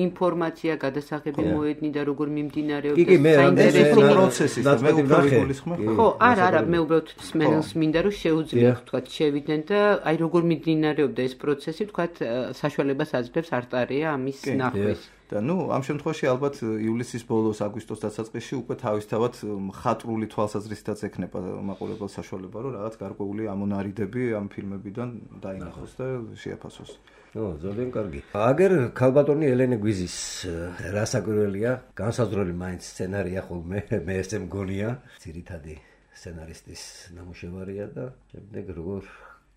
ინფორმაცია გადასაღები მოედნი და როგორ მიმდინარეობს საინტერესო პროცესი და მე უფრო ვიგულისხმებ. ხო, არა, მე უბრალოდ სმენელს მინდა რომ შეუძლიათ თქვა შევიდნენ და აი როგორ მიმდინარეობდა ეს პროცესი, თქვა საშუალებას აძლევს არტარია ამის ნახვის. და ნუ ამ შემთხვევაში ალბათ ივლისის ბოლოს, აგვისტოს დასაწყისში უკვე თავისთავად მხატვრული თვალსაზრისითაც ექნება მაყურებელს საშუალება, რომ რაღაც გარკვეული ამონარიდები ამ ფილმებიდან დაინახოს და შეაფასოს. ძალიან კარგი. აგერ ქალბატონი ელენე გვიზის რა საკვირველია, განსაზღვრელი მაინც სცენარია ხოლმე, მე ესე მგონია, ძირითადი სცენარისტის ნამუშევარია და შემდეგ როგორ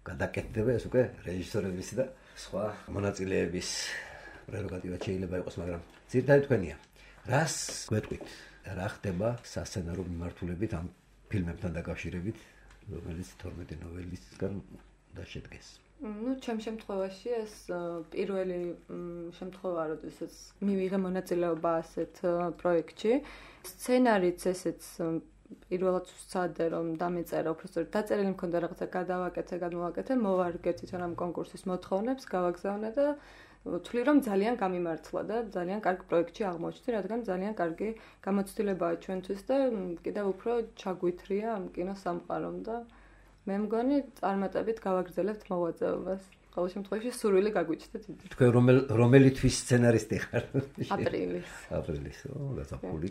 გადაკეთდება ეს უკვე რეჟისორების და სხვა მონაწილეების პრეროგატივად შეიძლება იყოს, მაგრამ ძირითადად თქვენია. რას გვეტყვით? რა ხდება სასცენარო მიმართულებით ამ ფილმებთან დაკავშირებით, რომელიც 12 ნოველისგან და შედგეს? ნუ ჩემ შემთხვევაში ეს პირველი შემთხვევა, როდესაც მივიღე მონაწილეობა ასეთ პროექტში. სცენარიც ესეც პირველად ვსწადე რომ დამეწერა, უბრალოდ დაწერილი მქონდა რაღაცა გადავაკეთე, გადმოვაკეთე, მოვარგე თვითონ ამ კონკურსის მოთხოვნებს, გავაგზავნე და ვთვლი რომ ძალიან გამიმართლა და ძალიან კარგ პროექტში აღმოჩნდი, რადგან ძალიან კარგი გამოცდილებაა ჩვენთვის და კიდევ უფრო ჩაგვითრია ამ კინოსამყარომ და მე მგონი წარმატებით გავაგრძელებთ მოვაწეობას. ყოველ შემთხვევაში სურვილი გაგვიჩნდა დიდი. თქვენ რომელი თვის სცენარისტი ხარ? აპრილის. გასაფული.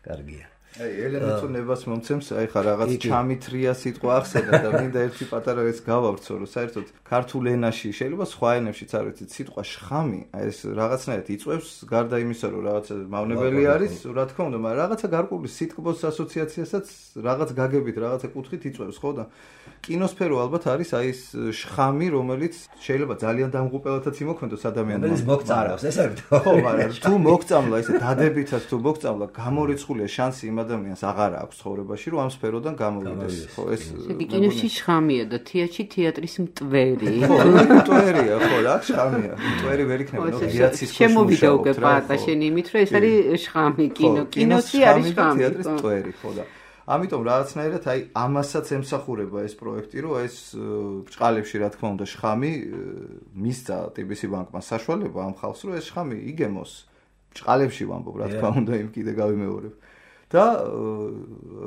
კარგია. აი ელენე თუ ნებას მომცემს, აი ხა რაღაც ჩამითრია სიტყვა ახსენა და მინდა ერთი პატარა ეს გავავრცო, რომ საერთოდ ქართულ ენაში, შეიძლება სხვა ენებშიც არ ვიცით, სიტყვა შხამი, აი ეს რაღაცნაირად იწვევს გარდა იმისა, რომ რაღაცა მავნებელი არის, რა თქმა უნდა, მაგრამ რაღაცა გარკვეული სიტკბოს ასოციაციასაც რაღაც გაგებით, რაღაცა კუთხით იწვევს, ხო და კინოსფერო ალბათ არის აი ეს შხამი, რომელიც შეიძლება ძალიან დამღუპელათაც იმოქმედოს ადამიანმა. რომელიც მოგწამლავს, ეს არის. ხო, მაგრამ თუ მოგწამლა, ესე დადებითად თუ მოგწამლა, გამორიცხულია შანსი იმ ადამიანს აღარ აქვს ცხოვრებაში, რომ ამ სფეროდან გამოვიდეს. ხო, ეს კინოში შხამია და თეატრში თეატრის მტვერი. ხო, მტვერია, ხო, რა შხამია. მტვერი ვერ იქნება, ნუ გიაცის ქვეშ შემოვიდა უკვე პარტა შენ იმით, რომ ეს არის შხამი კინოში არის შხამი. თეატრის მტვერი, ხო და ამიტომ რაღაცნაირად აი ამასაც ემსახურება ეს პროექტი, რომ ეს ბრჭყალებში რა თქმა უნდა შხამი მისცა TBC ბანკმა საშუალება ამ ხალხს, რომ ეს შხამი იგემოს ბრჭყალებში ვამბობ, რა თქმა უნდა, იმ კიდე გავიმეორებ. და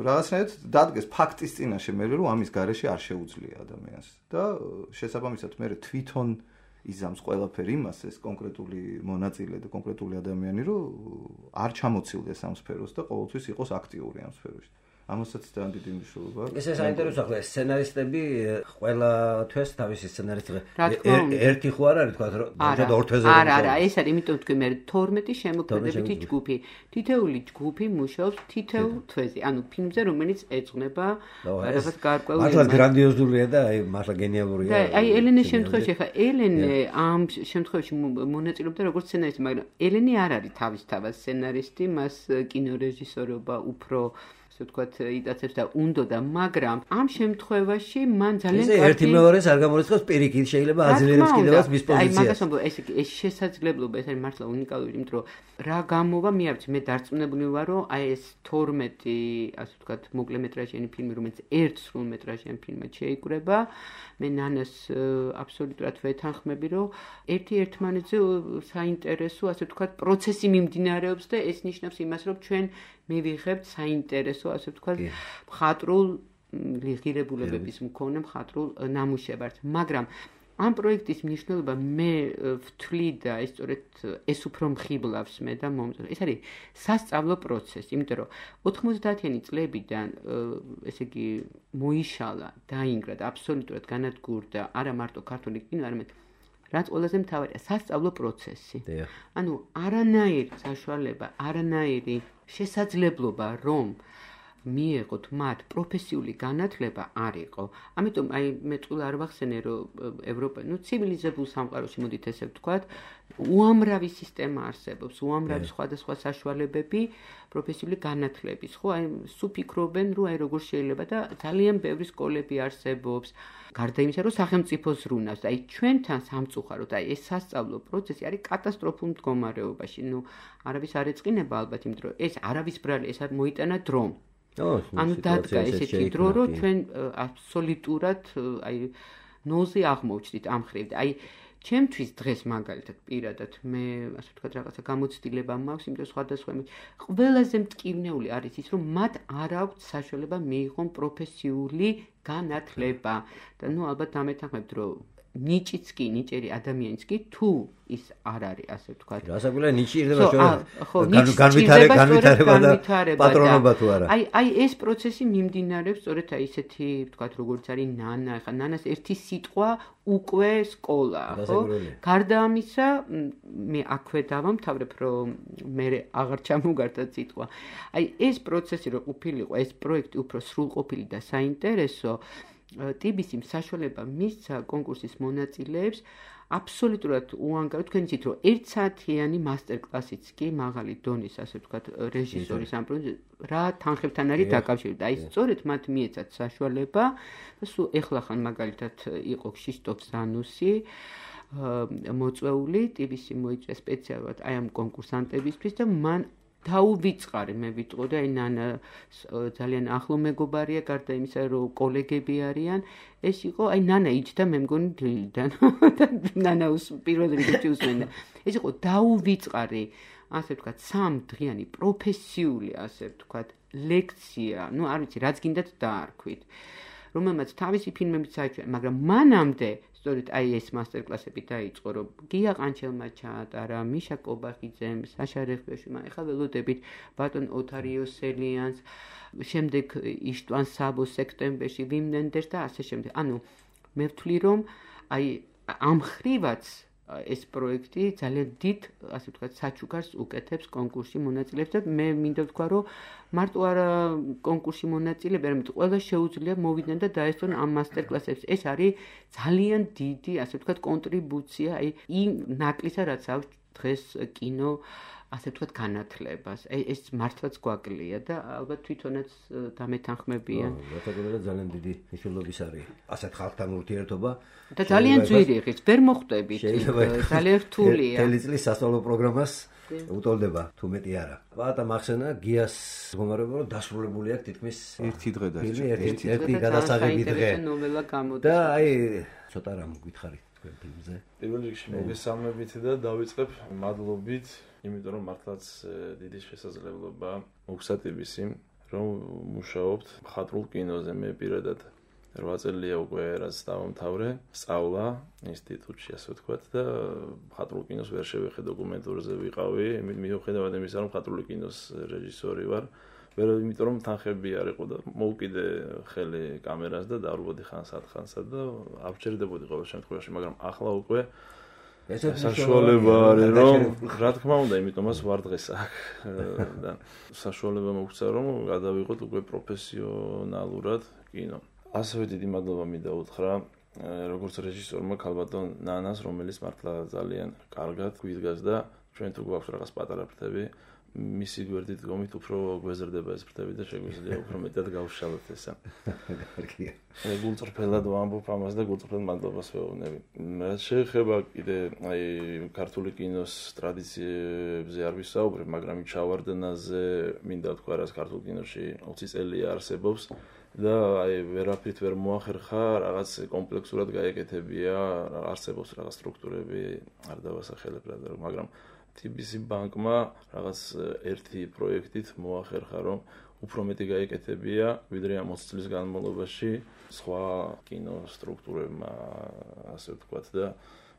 რაღაცნაირად დადგეს ფაქტის წინაშე მე რომ ამის გარეშე არ შეუძლია ადამიანს და შესაბამისად მე თვითონ იზამს ყველაფერი იმას ეს კონკრეტული მონაწილე და კონკრეტული ადამიანი რომ არ ჩამოცილდეს ამ სფეროს და ყოველთვის იყოს აქტიური ამ სფეროში. ამასაც ძალიან დიდი მნიშვნელობა აქვს. ეს საინტერესო ახლა სცენარისტები ყველა თვეს თავისი სცენარისტი ერთი ხო არ არის თქვა რომ და ორ თვეზე არა, ეს არის იმიტომ თქვი მე 12 შემოქმედებითი ჯგუფი. თითეული ჯგუფი მუშაობს თითოეულ თვეზე. ანუ ფილმზე რომელიც ეძღვნება რაღაც გარკვეულ მართლა გრანდიოზულია და აი მართლა გენიალურია. და აი ელენეს შემთხვევაში ხა ელენე ამ შემთხვევაში მონაწილეობდა როგორც სცენარისტი, მაგრამ ელენე არ არის თავისთავად სცენარისტი, მას კინორეჟისორობა უფრო ასე ვთქვათ, იტაცებს და უნდოდა, მაგრამ ამ შემთხვევაში მან ძალიან კარგი ერთი მეორეს არ გამორიცხავს პირიქით, შეიძლება აძლიერებს კიდევაც მის პოზიციას. აი, მაგას ამბობ, ეს შესაძლებლობა, ეს არის მართლა უნიკალური, იმიტომ რომ რა გამოვა, მე არ ვიცი, მე დარწმუნებული ვარ, რომ აი ეს 12, ასე ვთქვათ, მოკლემეტრაჟიანი ფილმი, რომელიც ერთ სრულმეტრაჟიან ფილმად შეიკრება, მე ნანას აბსოლუტურად ვეთანხმები, რომ ერთ-ერთმანეთზე საინტერესო, ასე ვთქვათ, პროცესი მიმდინარეობს და ეს ნიშნავს იმას, რომ ჩვენ მივიღებთ საინტერესო, ასე ვთქვათ, მხატვრულ ღირებულებების მქონე მხატვრულ ნამუშევარს, მაგრამ ამ პროექტის მნიშვნელობა მე ვთვლი და ეს სწორედ ეს უფრო მხიბლავს მე და მომწონს. ეს არის სასწავლო პროცესი, იმიტომ რომ 90-იანი წლებიდან ესე იგი მოიშალა, დაინგრა და აბსოლუტურად განადგურდა არა მარტო ქართული კინო, არამედ რაც ყველაზე მთავარია, სასწავლო პროცესი. ანუ არანაირი საშუალება, არანაირი შესაძლებლობა, რომ მიეღოთ მათ პროფესიული განათლება არ იყო. ამიტომ აი მე წულა არ ვახსენე, რომ ევროპა, ცივილიზებულ სამყაროში მოდით ესე ვთქვათ, უამრავი სისტემა არსებობს, უამრავი სხვადასხვა საშუალებები პროფესიული განათლების, ხო? აი სულ ფიქრობენ, რომ აი როგორ შეიძლება და ძალიან ბევრი სკოლები არსებობს. გარდა იმისა, რომ სახელმწიფო ზრუნავს, აი ჩვენთან სამწუხაროდ, აი ეს სასწავლო პროცესი არის კატასტროფულ მდგომარეობაში. არავის არ ეწყინება ალბათ, იმიტომ რომ ეს არავის ბრალი, ეს მოიტანა დრომ. ანუ დადგა ესეთი დრო, რომ ჩვენ აბსოლუტურად აი ნოზე აღმოჩნდით ამ ხრივ. აი ჩემთვის დღეს მაგალითად პირადად მე ასე ვთქვათ რაღაცა გამოცდილება მაქვს, იმიტომ სხვადასხვა ყველაზე მტკივნეული არის ის, რომ მათ არ აქვთ საშუალება მიიღონ პროფესიული განათლება. და ალბათ დამეთანხმებთ, რომ ნიჭიც კი, ნიჭერი ადამიანიც კი თუ ის არ არის, ასე ვთქვათ. რასაკვირველია ნიჭი ირდება განვითარება და პატრონობა თუ არა. აი ეს პროცესი მიმდინარეობს სწორედ აი ისეთი, ვთქვათ, როგორც არის ნანა, ხა ნანას ერთი სიტყვა უკვე სკოლა, ხო? გარდა ამისა, მე აქვე დავამთავრებ, რომ მე აღარ ჩამოგარდა სიტყვა. აი ეს პროცესი რო ყოფილიყო, ეს პროექტი უფრო სრულყოფილი და საინტერესო TBC-მ საშუალება მისცა კონკურსის მონაწილეებს აბსოლუტურად უანგარო, თქვენ იცით, რომ 1 საათიანი მასტერკლასიც კი მაღალი დონის, ასე ვთქვათ, რეჟისორის ამ რა თანხებთან არის დაკავშირებული. აი სწორედ მათ მიეცათ საშუალება და სულ ეხლა ხან მაგალითად იყო ქშიშტოფ ზანუსი მოწვეული, TBC მოიწვია სპეციალურად აი ამ კონკურსანტებისთვის და მან დაუვიწყარი მე ვიტყოდი, აი ნანა ძალიან ახლო მეგობარია, გარდა იმისა, რომ კოლეგები არიან, ეს იყო, აი ნანა იჯდა მე მგონი დილიდან და ნანა პირველ რიგებში უსმენდა. ეს იყო დაუვიწყარი, ასე ვთქვათ, 3 დღიანი პროფესიული, ასე ვთქვათ, ლექცია, არ ვიცი, რაც გინდათ დაარქვით, რომელმაც თავისი ფილმებით საჩვენა, მაგრამ მანამდე სწორედ აი ეს მასტერკლასები დაიწყო, რომ გია ყანჩელმა ჩაატარა, მიშა კობახიძემ, საშა რეხბეშვმა, ეხლა ველოდებით ბატონ ოთარიო სელიანს, შემდეგ იშტვან საბოს სექტემბერში, ვიმნენდერს და ასე შემდეგ. ანუ მე ვთვლი, რომ აი ამ ხრივაც ეს პროექტი ძალიან დიდ, ასე ვთქვათ, საჩუქარს უკეთებს კონკურსში მონაწილეებს და მე მინდა ვთქვა, რომ მარტო არა კონკურსში მონაწილეები, არამედ ყველა შეუძლია მოვიდნენ და დაესწრონ ამ მასტერკლასებს. ეს არის ძალიან დიდი, ასე ვთქვათ, კონტრიბუცია აი იმ ნაკლისა, რაც აქვს დღეს კინო ასე ვთქვათ, განათლებას. ეს მართლაც გვაკლია და ალბათ თვითონაც დამეთანხმებიან. მეთოდოლოგია ძალიან დიდი მნიშვნელობის არის. ასეთ ხალხთან ურთიერთობა და ძალიან ძვირი ღირს, ვერ მოხვდებით. ძალიან რთულია. მთელი წლის სასწავლო პროგრამას უტოლდება, თუ მეტი არა. ბატა მახსენა გიას მდგომარეობა რომ დასრულებული აქვს თითქმის ერთი დღე და ერთი გადასაღები დღე. ნოველა გამოდის. და აი ცოტა რამ გითხარით თქვენ ფილმზე. პირველ რიგში მოგესალმებით და დავიწყებ მადლობით, იმიტომ რომ მართლაც დიდი შესაძლებლობა მოგსატიბის იმ რომ მუშაობთ მხატვრულ კინოზე. მე პირადად 8 წელია უკვე რაც დავამთავრე სწავლა ინსტიტუტში, ასე ვთქვათ და მხატვრულ კინოს ვერ შევეხე, დოკუმენტურზე ვიყავი, მიუხედავად იმისა, რომ მხატვრული კინოს რეჟისორი ვარ. ვერ იმიტომ რომ თანხები არ იყო და მოვკიდე ხელი კამერას და დავრბოდი ხანსა და ავჭერდებოდი ყოველ შემთხვევაში, მაგრამ ახლა უკვე საშუალება არის რომ რა თქმა უნდა, იმიტომაც ვარ დღეს აქ და საშუალება მოგცა რომ გადავიღოთ უკვე პროფესიონალურად კინო. ასევე დიდი მადლობა მინდა უთხრა როგორც რეჟისორმა ქალბატონ ნანას, რომელიც მართლა ძალიან კარგად გვიდგას და ჩვენ თუ გვაქვს რაღაც პატარა ფრთები, მისი გვერდით დგომით უფრო გვეზრდება ეს ფრთები და შეგვიძლია უფრო მეტად გავშალოთ ესა. კარგია. გულწრფელად ვამბობ ამას და გულწრფელ მადლობას ვეუბნები. რაც შეეხება კიდე აი ქართული კინოს ტრადიციებზე არ ვისაუბრებ, მაგრამ ჩავარდნაზე მინდა თქვა, რაც ქართულ კინოში 20 წელია არსებობს. და აი ვერაფრით ვერ მოახერხა, რაღაც კომპლექსურად გაეკეთებია, არსებობს რაღაც სტრუქტურები, არ დავასახელებ რა, მაგრამ TBC ბანკმა რაღაც ერთი პროექტით მოახერხა, რომ უფრო მეტი გაეკეთებია, ვიდრე ამ 20 წლის განმავლობაში სხვა კინო სტრუქტურებმა, ასე ვთქვათ და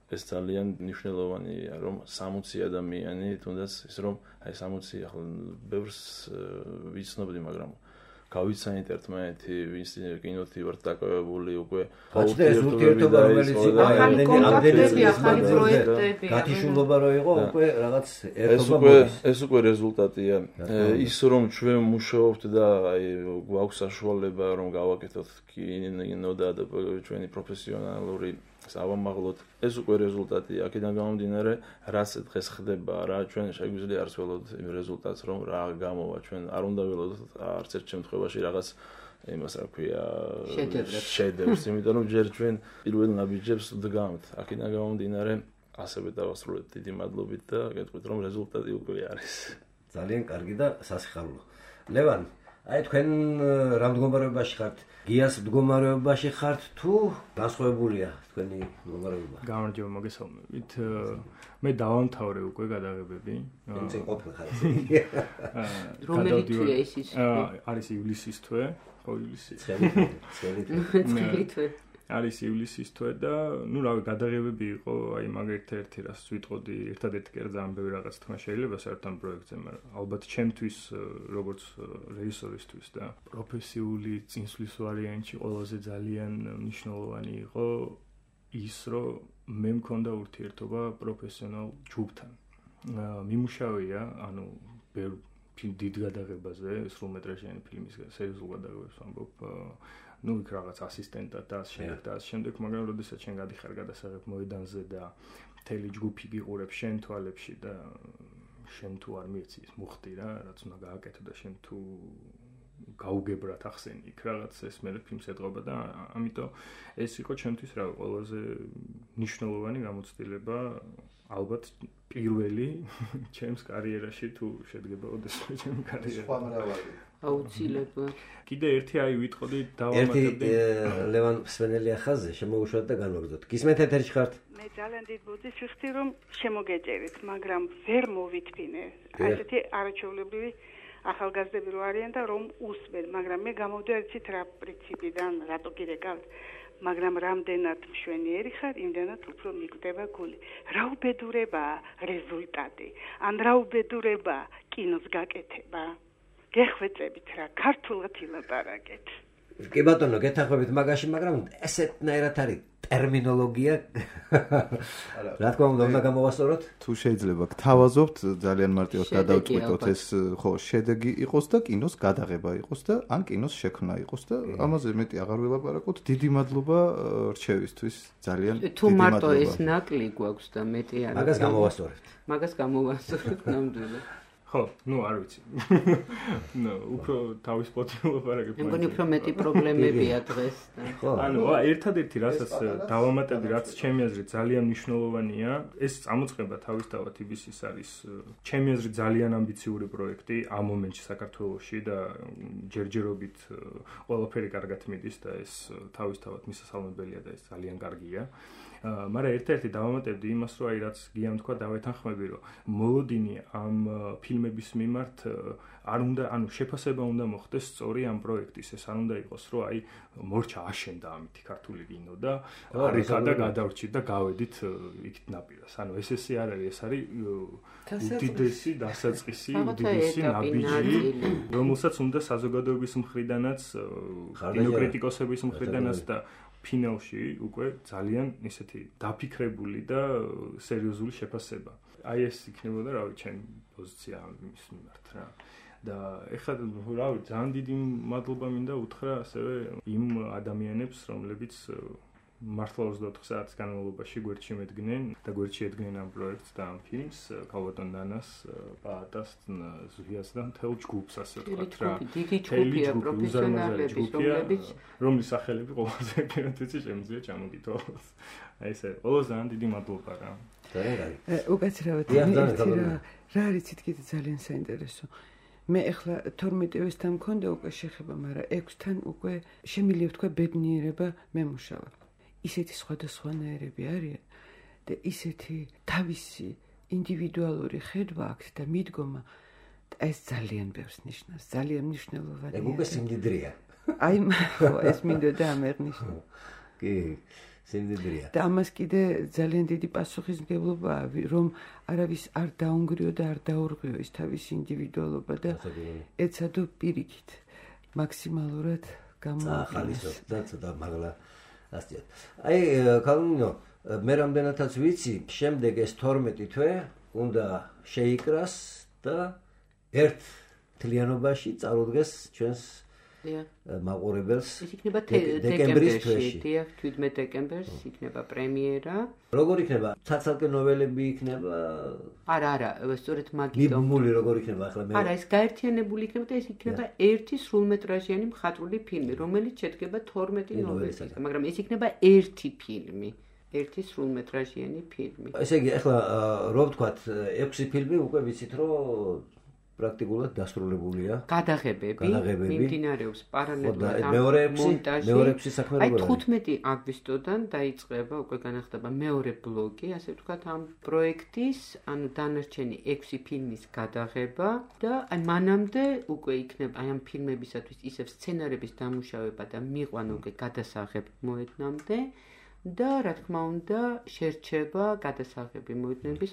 ეს ძალიან მნიშვნელოვანია, რომ 60 ადამიანი, თუნდაც ის რომ აი 60 ახლა ბევრს ვიცნობდი, მაგრამ გავიცანით ერთმანეთი, ვინც კინოთი ვართ დაკავებული უკვე ურთიერთობა რომელიც ახალი კონტაქტები, ახალი პროექტები, გათიშულობა რო იყო, უკვე რაღაც ერთობა ეს უკვე რეზულტატია. ის რომ ჩვენ მუშაობთ და აი გვაქვს საშუალება რომ გავაკეთოთ კინო და ჩვენი პროფესიონალური სავამაღლოდ, ეს უკვე რეზულტატია. აქედან გამომდინარე, რაც დღეს ხდება, რა ჩვენ შეგვიძლია არც ველოდოთ იმ რეზულტატს, რომ რა გამოვა, ჩვენ არ უნდა ველოდოთ არც ერთ შემთხვევაში რაღაც იმას რა ქვია შედევრს, იმიტომ რომ ჯერ ჩვენ პირველ ნაბიჯებს ვდგამთ. აქედან გამომდინარე, ასევე დავასრულეთ დიდი მადლობით და გეტყვით რომ რეზულტატი უკვე არის. ძალიან კარგი და სასიხარულო. ლევან, აი თქვენ რა მდგომარეობაში ხართ? გიას მდგომარეობაში ხართ თუ განსხვავებულია თქვენი მდგომარეობა? გამარჯობა, მოგესალმებით. მე დავამთავრე უკვე გადაღებები. ინცე ყოფილ ხარ. რომელი თვეა ის? არის ივლისის თვე, ხო ივლისი. წელი თვე. არის ივლისის თვე და ნუ რავი, გადაღებები იყო, აი მაგ ერთ-ერთი რას ვიტყოდი, ერთადერთი კი ძალიან ბევრი რაღაც თქმა შეიძლება საერთოდ პროექტზე, მაგრამ ალბათ ჩემთვის როგორც რეჟისორისთვის და პროფესიული წინსვლის ვარიანტში ყველაზე ძალიან მნიშვნელოვანი იყო ის, რომ მე მქონდა ურთიერთობა პროფესიონალ ჯგუფთან. მიმუშავია, ანუ ბევრ დიდ გადაღებაზე, სრულმეტრაჟიანი ფილმის სერიოზულ გადაღებებს ვამბობ. ნუ იქ რაღაც ასისტენტად და ამ შემდეგ, მაგრამ როდესაც შენ გადიხარ გადასაღებ მოედანზე და მთელი ჯგუფი გიყურებს შენ თვალებში და შენ თუ არ მიეცი ის მუხტი რა, რაც უნდა გააკეთო და შენ თუ გაუგებრად ახსენი იქ რაღაც ეს მე ფილმს ეტყობა და ამიტომ ეს იყო ჩემთვის რა ყველაზე მნიშვნელოვანი გამოცდილება, ალბათ პირველი ჩემს კარიერაში თუ შედგება ოდესმე ჩემი კარიერა. აუცილებლად. კიდე ერთი აი ვიტყოდი დავამატებდი. ლევან სვენელია ხაზზე შემოუშვათ და განვაგრძოთ. გისმენთ ეთერში ხართ? მე ძალიან დიდ ბუდის ვიხდი, რომ შემოგეჭერით, მაგრამ ვერ მოვიტფინე. ასეთი არაჩვეულებრივი ახალგაზრდები რო არიან და რომ უსმენ, მაგრამ მე გამოვდეცით რა პრინციპიდან, რატო გირეკავთ, მაგრამ რამდენად მშვენიერი ხარ, იმდენად უფრო მიგვდება გული. რა უბედურებაა რეზულტატი, ან რა უბედურებაა კინოს გაკეთება. გეხვეწებით რა, ქართულად ილაპარაკეთ. კი ბატონო, გეთანხმებით მაგაში, მაგრამ ესეთნაირად არის ტერმინოლოგია. რა თქმა უნდა გამოვასწოროთ? თუ შეიძლება გთავაზობთ ძალიან მარტივად გადავწყვიტოთ ეს ხო შედეგი იყოს და კინოს გადაღება იყოს და ან კინოს შექმნა იყოს და ამაზე მეტი აღარ ვილაპარაკოთ. დიდი მადლობა რჩევისთვის. ძალიან დიდი მადლობა. თუ მარტო ეს ნაკლი გვაქვს და მეტი არ მაგას გამოვასწორებთ. მაგას გამოვასწორებთ ნამდვილად. ხო, არ ვიცი. უფრო თავის პოტი ვილაპარაკებ. მეგონი უფრო მეტი პრობლემებია დღეს. ანუ ერთადერთი რასაც დავამატებდი, რაც ჩემი აზრით ძალიან მნიშვნელოვანია, ეს წამოწყება თავისთავად იბისის არის ჩემი აზრით ძალიან ამბიციური პროექტი ამ მომენტში საქართველოში და ჯერჯერობით ყველაფერი კარგად მიდის და ეს თავისთავად მისასალმებელია და ეს ძალიან კარგია. მაგრამ ერთ-ერთი დავამატებდი იმას, რომ რაც გიამ თქვა დავეთანხმები, რომ მოლოდინი ამ ფილმების მიმართ არ უნდა, შეფასება უნდა მოხდეს სწორი ამ პროექტის. ეს არ უნდა იყოს, რომ მორჩა აშენდა ამით ქართული კინო და არიქა და გადავრჩით და გავედით იქით ნაპირას. ესე არ არის, ეს არის უდიდესი დასაწყისი, უდიდესი ნაბიჯი, რომელსაც უნდა საზოგადოების მხრიდანაც, კინოკრიტიკოსების მხრიდანაც და ფინალში უკვე ძალიან ისეთი დაფიქრებული და სერიოზული შეფასება. ეს იქნებოდა, ჩემი პოზიცია ამის მიმართ რა. და ეხლა ძალიან დიდი მადლობა მინდა უთხრა ასევე იმ ადამიანებს, რომლებიც მართლა 24 საათის განმავლობაში გვერდში მედგნენ და გვერდში ედგნენ ამ პროექტს და ამ ფილმს, ქალბატონ დანას, პაატას, ზვიას და მთელ ჯგუფს, ასე ვთქვათ რა. დიდი ჯგუფია პროფესიონალების, რომლის სახელები ყველაზე პირად ვიცი, შემიძლია ჩამოგითო. ესე, ყველას ძალიან დიდი მადლობა რა. უკაცრავად რა არის თითქოს ძალიან საინტერესო. მე ახლა 12-თან მქონდა უკვე შეხება, მაგრამ 6-თან უკვე შემიძლია ვთქვა ბედნიერება მემუშავა. ისეთი სხვადასხვანაირები არიან და ისეთი თავისი ინდივიდუალური ხედვა აქვს და მიდგომა და ეს ძალიან ბევრს ნიშნავს, ძალიან მნიშვნელოვანია. უკვე სიმდიდრეა. ეს მინდოდა ამერნიშნა. კი, სიმდიდრეა. და ამას კიდე ძალიან დიდი პასუხისმგებლობაა, რომ არავის არ დაუნგრიო და არ დაურღვიო ის თავისი ინდივიდუალობა და ეცადო პირიქით მაქსიმალურად გამოახალისოს და ცოტა მაღლა ასწიოთ. კალინო, მე რამდენადაც ვიცი, შემდეგ ეს 12 თვე უნდა შეიკრას და ერთ თლიანობაში წარუდგეს ჩვენს მაყურებელს. ის იქნება დეკემბერში, 17 დეკემბერს იქნება პრემიერა. როგორ იქნება? ცალ-ცალკე ნოველები იქნება? არა, სწორედ მაგიტომ. მიბმული როგორ იქნება ახლა მე? არა, ეს გაერთიანებული იქნება და ეს იქნება ერთი სრულმეტრაჟიანი მხატვრული ფილმი, რომელიც შედგება 12 ნოველისგან, მაგრამ ეს იქნება ერთი ფილმი. ერთი სრულმეტრაჟიანი ფილმი. ესე იგი, ახლა რო ვთქვათ, 6 ფილმი უკვე ვიცით, რომ პრაქტიკულად დასრულებულია. გადაღებები მიმდინარეობს პარალელურად მეორე საქმე როგორია? 15 აგვისტოდან დაიწყება, უკვე განახდება მეორე ბლოკი, ასე ვთქვათ, ამ პროექტის, ანუ დანარჩენი 6 ფილმის გადაღება და მანამდე უკვე იქნება ამ ფილმებისათვის ისევ სცენარების დამუშავება და მიყვანა უკვე გადასაღებ მოედნამდე და რა თქმა უნდა შერჩება გადასაღები მოედნების,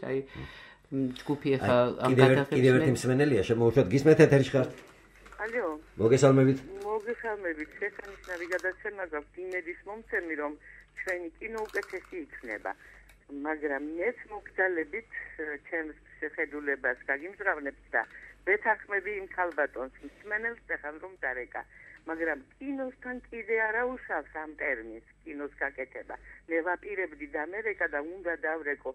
ჯგუფი ახლა ამ გადაღებს კიდევ ერთი მსმენელია, შემოუშვათ, გისმენთ ეთერში ხართ? ალო. მოგესალმებით. მოგესალმებით. შესანიშნავი გადაცემა გაქვთ იმედის მომცემი, რომ ჩვენი კინო უკეთესი იქნება. მაგრამ მეც მოგძალებით ჩემს შეხედულებას გაგიმჟღავნებთ და ვეთანხმები იმ ქალბატონს მსმენელს ახლა რომ დარეკა. მაგრამ კინოსთან კიდე არა უშავს ამ ტერმინს კინოს გაკეთება. მე ვაპირებდი დამერეკა და უნდა დავრეკო.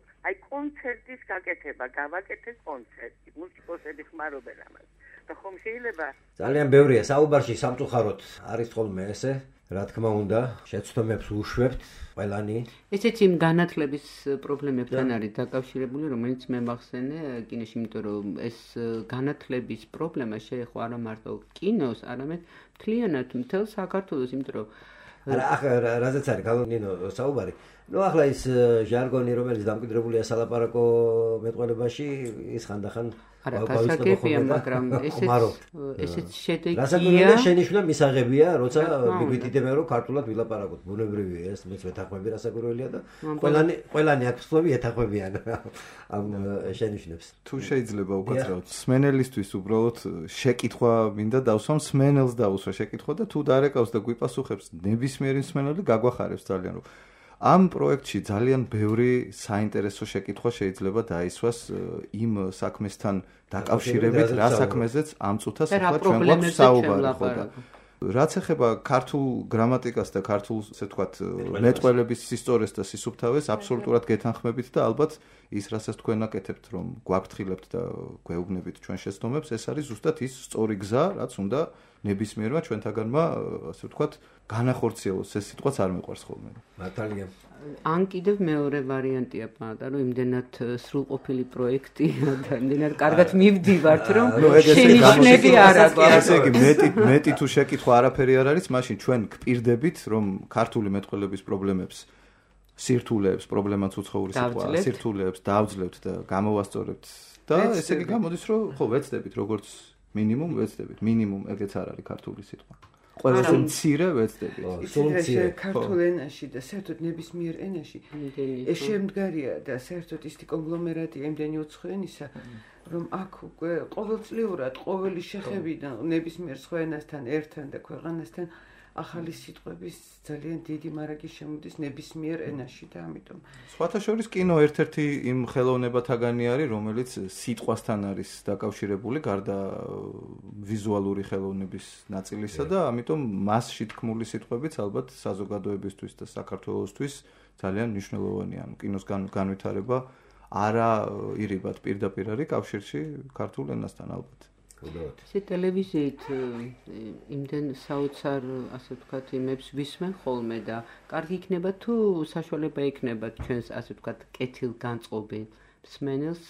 კონცერტის გაკეთება, გავაკეთე კონცერტი. მუსიკოსები ხმარობენ ამას. და ხომ შეიძლება? ძალიან ბევრია საუბარში სამწუხაროდ არის ხოლმე ესე. რა თქმა უნდა, შეცდომებს უშვებთ ყველანი. ესეც იმ განათლების პრობლემებთან არის დაკავშირებული, რომელიც მე მახსენე კინოში, იმიტომ რომ ეს განათლების პრობლემა შეეხო არა მარტო კინოს, არამედ მთლიანად მთელ საქართველოს, იმიტომ რომ ახლა რაზეც არის კალინო საუბარი. ახლა ის ჟარგონი, რომელიც დამკვიდრებულია სალაპარაკო მეტყველებაში, ის ხანდახან არა, გასაგებია, მაგრამ ესეც შედეგია. რასაკვირველია, შენიშვნა მისაღებია, როცა მიგვითითებენ, რომ ქართულად ვილაპარაკოთ. ბუნებრივია ეს, მეც ვეთანხმები რასაკვირველია და ყველანი აქტივები ეთანხმებიან ამ შენიშვნებს. თუ შეიძლება უკაცრავად, სმენელისთვის უბრალოდ შეკითხვა მინდა დავსვამ, სმენელს დაუსვა შეკითხვა და თუ დარეკავს და გვიპასუხებს ნებისმიერი სმენელი გაგვახარებს ძალიან, რომ ამ პროექტში ძალიან ბევრი საინტერესო შეკითხვა შეიძლება დაისვას იმ საქმესთან დაკავშირებით, რა საქმეზეც ამ წუთას ახლა ჩვენ გვაქვს საუბარი, ხო და რაც ეხება ქართულ გრამატიკას და ქართულ, ასე ვთქვათ, მეტყველების ისტორიას და სისუფთავეს, აბსოლუტურად გეთანხმებით და ალბათ ის, რასაც თქვენ აკეთებთ, რომ გვაფრთხილებთ და გვეუბნებით ჩვენ შეცდომებს, ეს არის ზუსტად ის სწორი გზა, რაც უნდა ნებისმიერმა ჩვენთაგანმა, ასე ვთქვათ, განახორციელოს. ეს სიტყვაც არ მეყვარს ხოლმე. მართალია. ან კიდევ მეორე ვარიანტია პატარა, რომ იმდენად სრულყოფილი პროექტია და იმდენად კარგად მივდივართ, რომ შენიშნები არ აქვს. ესე იგი, მეტი თუ შეკითხვა არაფერი არ არის, მაშინ ჩვენ გპირდებით, რომ ქართული მეტყველების პრობლემებს სირთულეებს, პრობლემაც უცხოური სიტყვა, სირთულეებს დავძლებთ და გამოვასწორებთ და ესე იგი გამოდის, რომ ხო ვეცდებით, როგორც მინიმუმ ვეცდებით. მინიმუმ ეგეც არ არის ქართული სიტყვა. ყველაზე მცირე ვეცდებით. ისე ქართულ ენაში და საერთოდ ნებისმიერ ენაში შემდგარია და საერთოდ ისეთი კონგლომერატია იმდენი უცხო ენისა, რომ აქ უკვე ყოველწლიურად ყოველი შეხებიდან ნებისმიერ სხვა ენასთან ერთთან და ქვეყანასთან ახალი სიტყვების ძალიან დიდი მარაგი შემოდის ნებისმიერ ენაში და ამიტომ სხვათა შორის კინო ერთ-ერთი იმ ხელოვნებათაგანი არის, რომელიც სიტყვასთან არის დაკავშირებული გარდა ვიზუალური ხელოვნების ნაწილისა და ამიტომ მასში თქმული სიტყვებიც ალბათ საზოგადოებისთვის და საქართველოსთვის ძალიან მნიშვნელოვანია. კინოს განვითარება არა ირიბად პირდაპირ არის კავშირში ქართულ ენასთან ალბათ. ესე ტელევიზიით იმდენ საოცარ, ასე ვთქვათ, იმებს ვისმენ ხოლმე და კარგი იქნება თუ საშუალება იქნება ჩვენს, ასე ვთქვათ, კეთილგანწყობილ მსმენელს,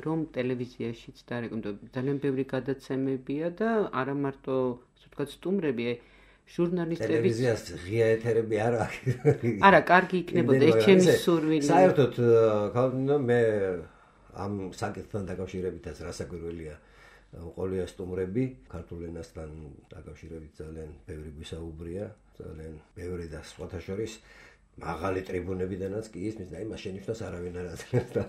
რომ ტელევიზიაშიც დარეკომენდო. ძალიან ბევრი გადაცემებია და არა მარტო, ასე ვთქვათ, სტუმრები, ჟურნალისტები. ტელევიზიას ღია ეთერები არ აქვს. არა, კარგი იქნებოდა, ეს ჩემი სურვილი. საერთოდ მე ამ საკითხთან დაკავშირებითაც რასაკვირველია ყოლია სტუმრები ქართულ ენასთან დაკავშირებით ძალიან ბევრი გვისაუბრია, ძალიან ბევრი და სხვათა შორის მაღალი ტრიბუნებიდანაც კი ისმის და იმას შენიშნავს არავინ არ აძლევს და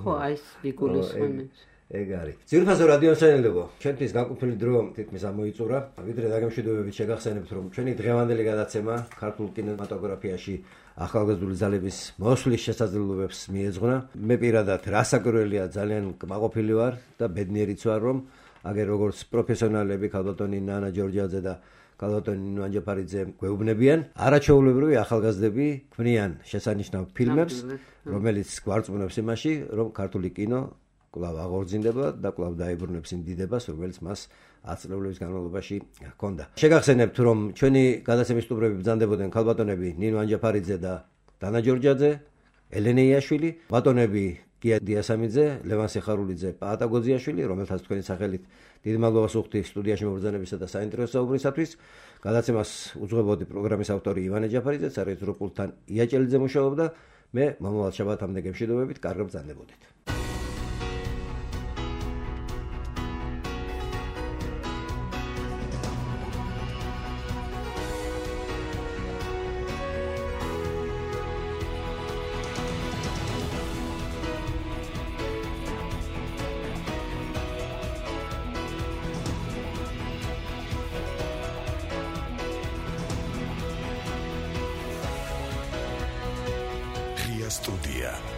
ხო, ეს ვიგულისხმობთ. ეგ არის. ძირფასო რადიო მსმენელებო, ჩვენთვის განკუთვნილი დრო თითქმის ამოიწურა. ვიდრე დაგემშვიდობებით შეგახსენებთ, რომ ჩვენი დღევანდელი გადაცემა ქართულ კინემატოგრაფიაში ახალგაზრდული ძალების მოსვლის შესაძლებლობებს მიეძღვნა. მე პირადად რასაკვირველია ძალიან კმაყოფილი ვარ და ბედნიერიც ვარ, რომ აგერ როგორც პროფესიონალები ქალბატონი ნანა ჯორჯიაძე და ქალბატონი ნინო ანჯაფარიძე გვეუბნებიან, არაჩვეულებრივი ახალგაზრდები ქმნიან შესანიშნავ ფილმებს, რომელიც გვარწმუნებს იმაში, რომ ქართული კინო კვლავ აღორძინდება და კვლავ დაიბრუნებს იმ დიდებას, რომელიც მას 10 წლების განმავლობაში ჰქონდა. შეგახსენებთ, რომ ჩვენი გადაცემის სტუმრები ბრძანდებოდნენ ქალბატონები ნინო ანჯაფარიძე და დანა ჯორჯიაძე, ელენე იაშვილი, ბატონები გია დიასამიძე, ლევან სიხარულიძე, პაატა გოძიაშვილი, რომელთაც თქვენი სახელით დიდი მადლობას ვუხდი სტუდიაში მობრძანებისა და საინტერესო საუბრისათვის. გადაცემას უძღვებოდი პროგრამის ავტორი ივანე ჯაფარიძე, სარეჟისორო პულტთან იაჭელიძე მუშაობდა. მე მომავალ შაბათამდე გემშვიდობებით, კარგად ბრძანდებოდით. Studia.